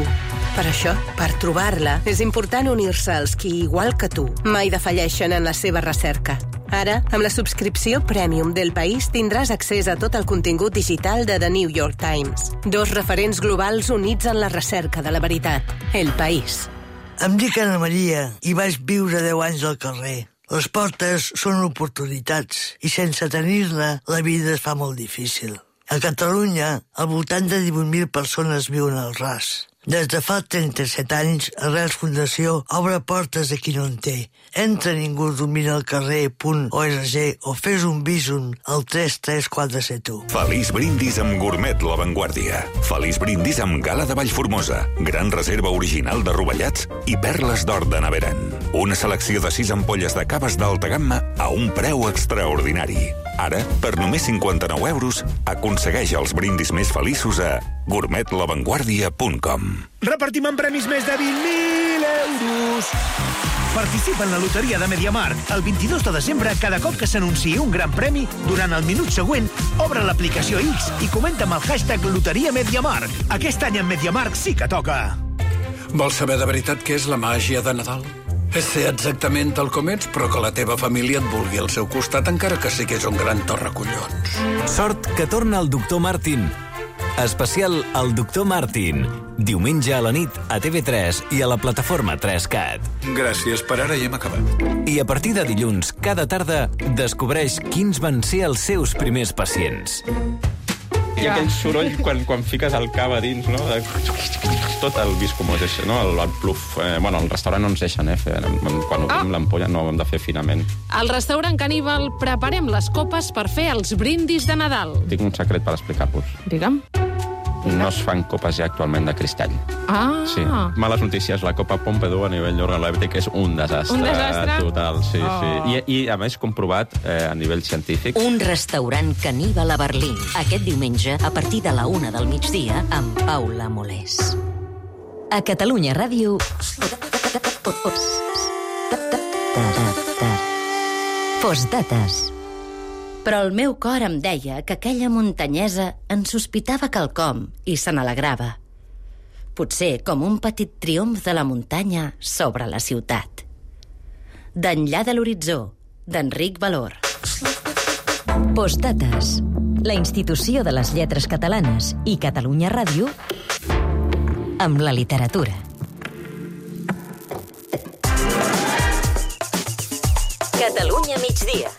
Per això, per trobar-la, és important unir-se als qui, igual que tu, mai defalleixen en la seva recerca. Ara, amb la subscripció Premium del País, tindràs accés a tot el contingut digital de The New York Times. 2 referents globals units en la recerca de la veritat. El País. Em dic Anna Maria i vaig viure 10 anys al carrer. Les portes són oportunitats i sense tenir-ne la vida es fa molt difícil. A Catalunya, al voltant de 18.000 persones viuen al ras. Des de fa 37 anys, Arrels Fundació obre portes a qui no en té. Entra ningú domina el carrer.org o fes un bísum al 33471. Feliç brindis amb Gourmet La Vanguardia. Feliç brindis amb Gala de Vallformosa. Gran reserva original de rovellats i perles d'or de Naveran. Una selecció de 6 ampolles de caves d'alta gamma a un preu extraordinari. Ara, per només 59 euros, aconsegueix els brindis més feliços a gourmetlavanguardia.com. Repartim en premis més de 20.000 euros! Participa en la loteria de MediaMarkt. El 22 de desembre, cada cop que s'anunciï un gran premi, durant el minut següent, obre l'aplicació X i comenta amb el hashtag Loteria MediaMarkt. Aquest any en MediaMarkt sí que toca. Vols saber de veritat què és la màgia de Nadal? És ser exactament tal com ets, però que la teva família et vulgui al seu costat, encara que siguis un gran torracollons. Sort que torna el doctor Martin. Especial El doctor Martin. Diumenge a la nit a TV3 i a la plataforma 3CAT. Gràcies, per ara ja hem acabat. I a partir de dilluns, cada tarda, descobreix quins van ser els seus primers pacients. Hi ha aquell soroll quan fiques el cava dins, no? Tot el viscomós, no? El pluf. Bueno, al restaurant no ens deixen, quan obrim l'ampolla no ho hem de fer finament. Al restaurant Caníbal preparem les copes per fer els brindis de Nadal. Tinc un secret per explicar-vos. Digue'm. No es fan copes ja actualment de cristall. Ah! Sí. Males notícies, la Copa Pompidou a nivell organolèptic és un desastre. Un desastre? Total, sí, sí. I a més comprovat a nivell científic. Un restaurant Caníbal a Berlín. Aquest diumenge, a partir de la 1 del migdia, amb Paula Molés. A Catalunya Ràdio... Postdates. Però el meu cor em deia que aquella muntanyesa en sospitava quelcom i se n'alegrava. Potser com un petit triomf de la muntanya sobre la ciutat. D'enllà de l'horitzó, d'Enric Valor. Postdates. La institució de les lletres catalanes i Catalunya Ràdio amb la literatura. Catalunya migdia.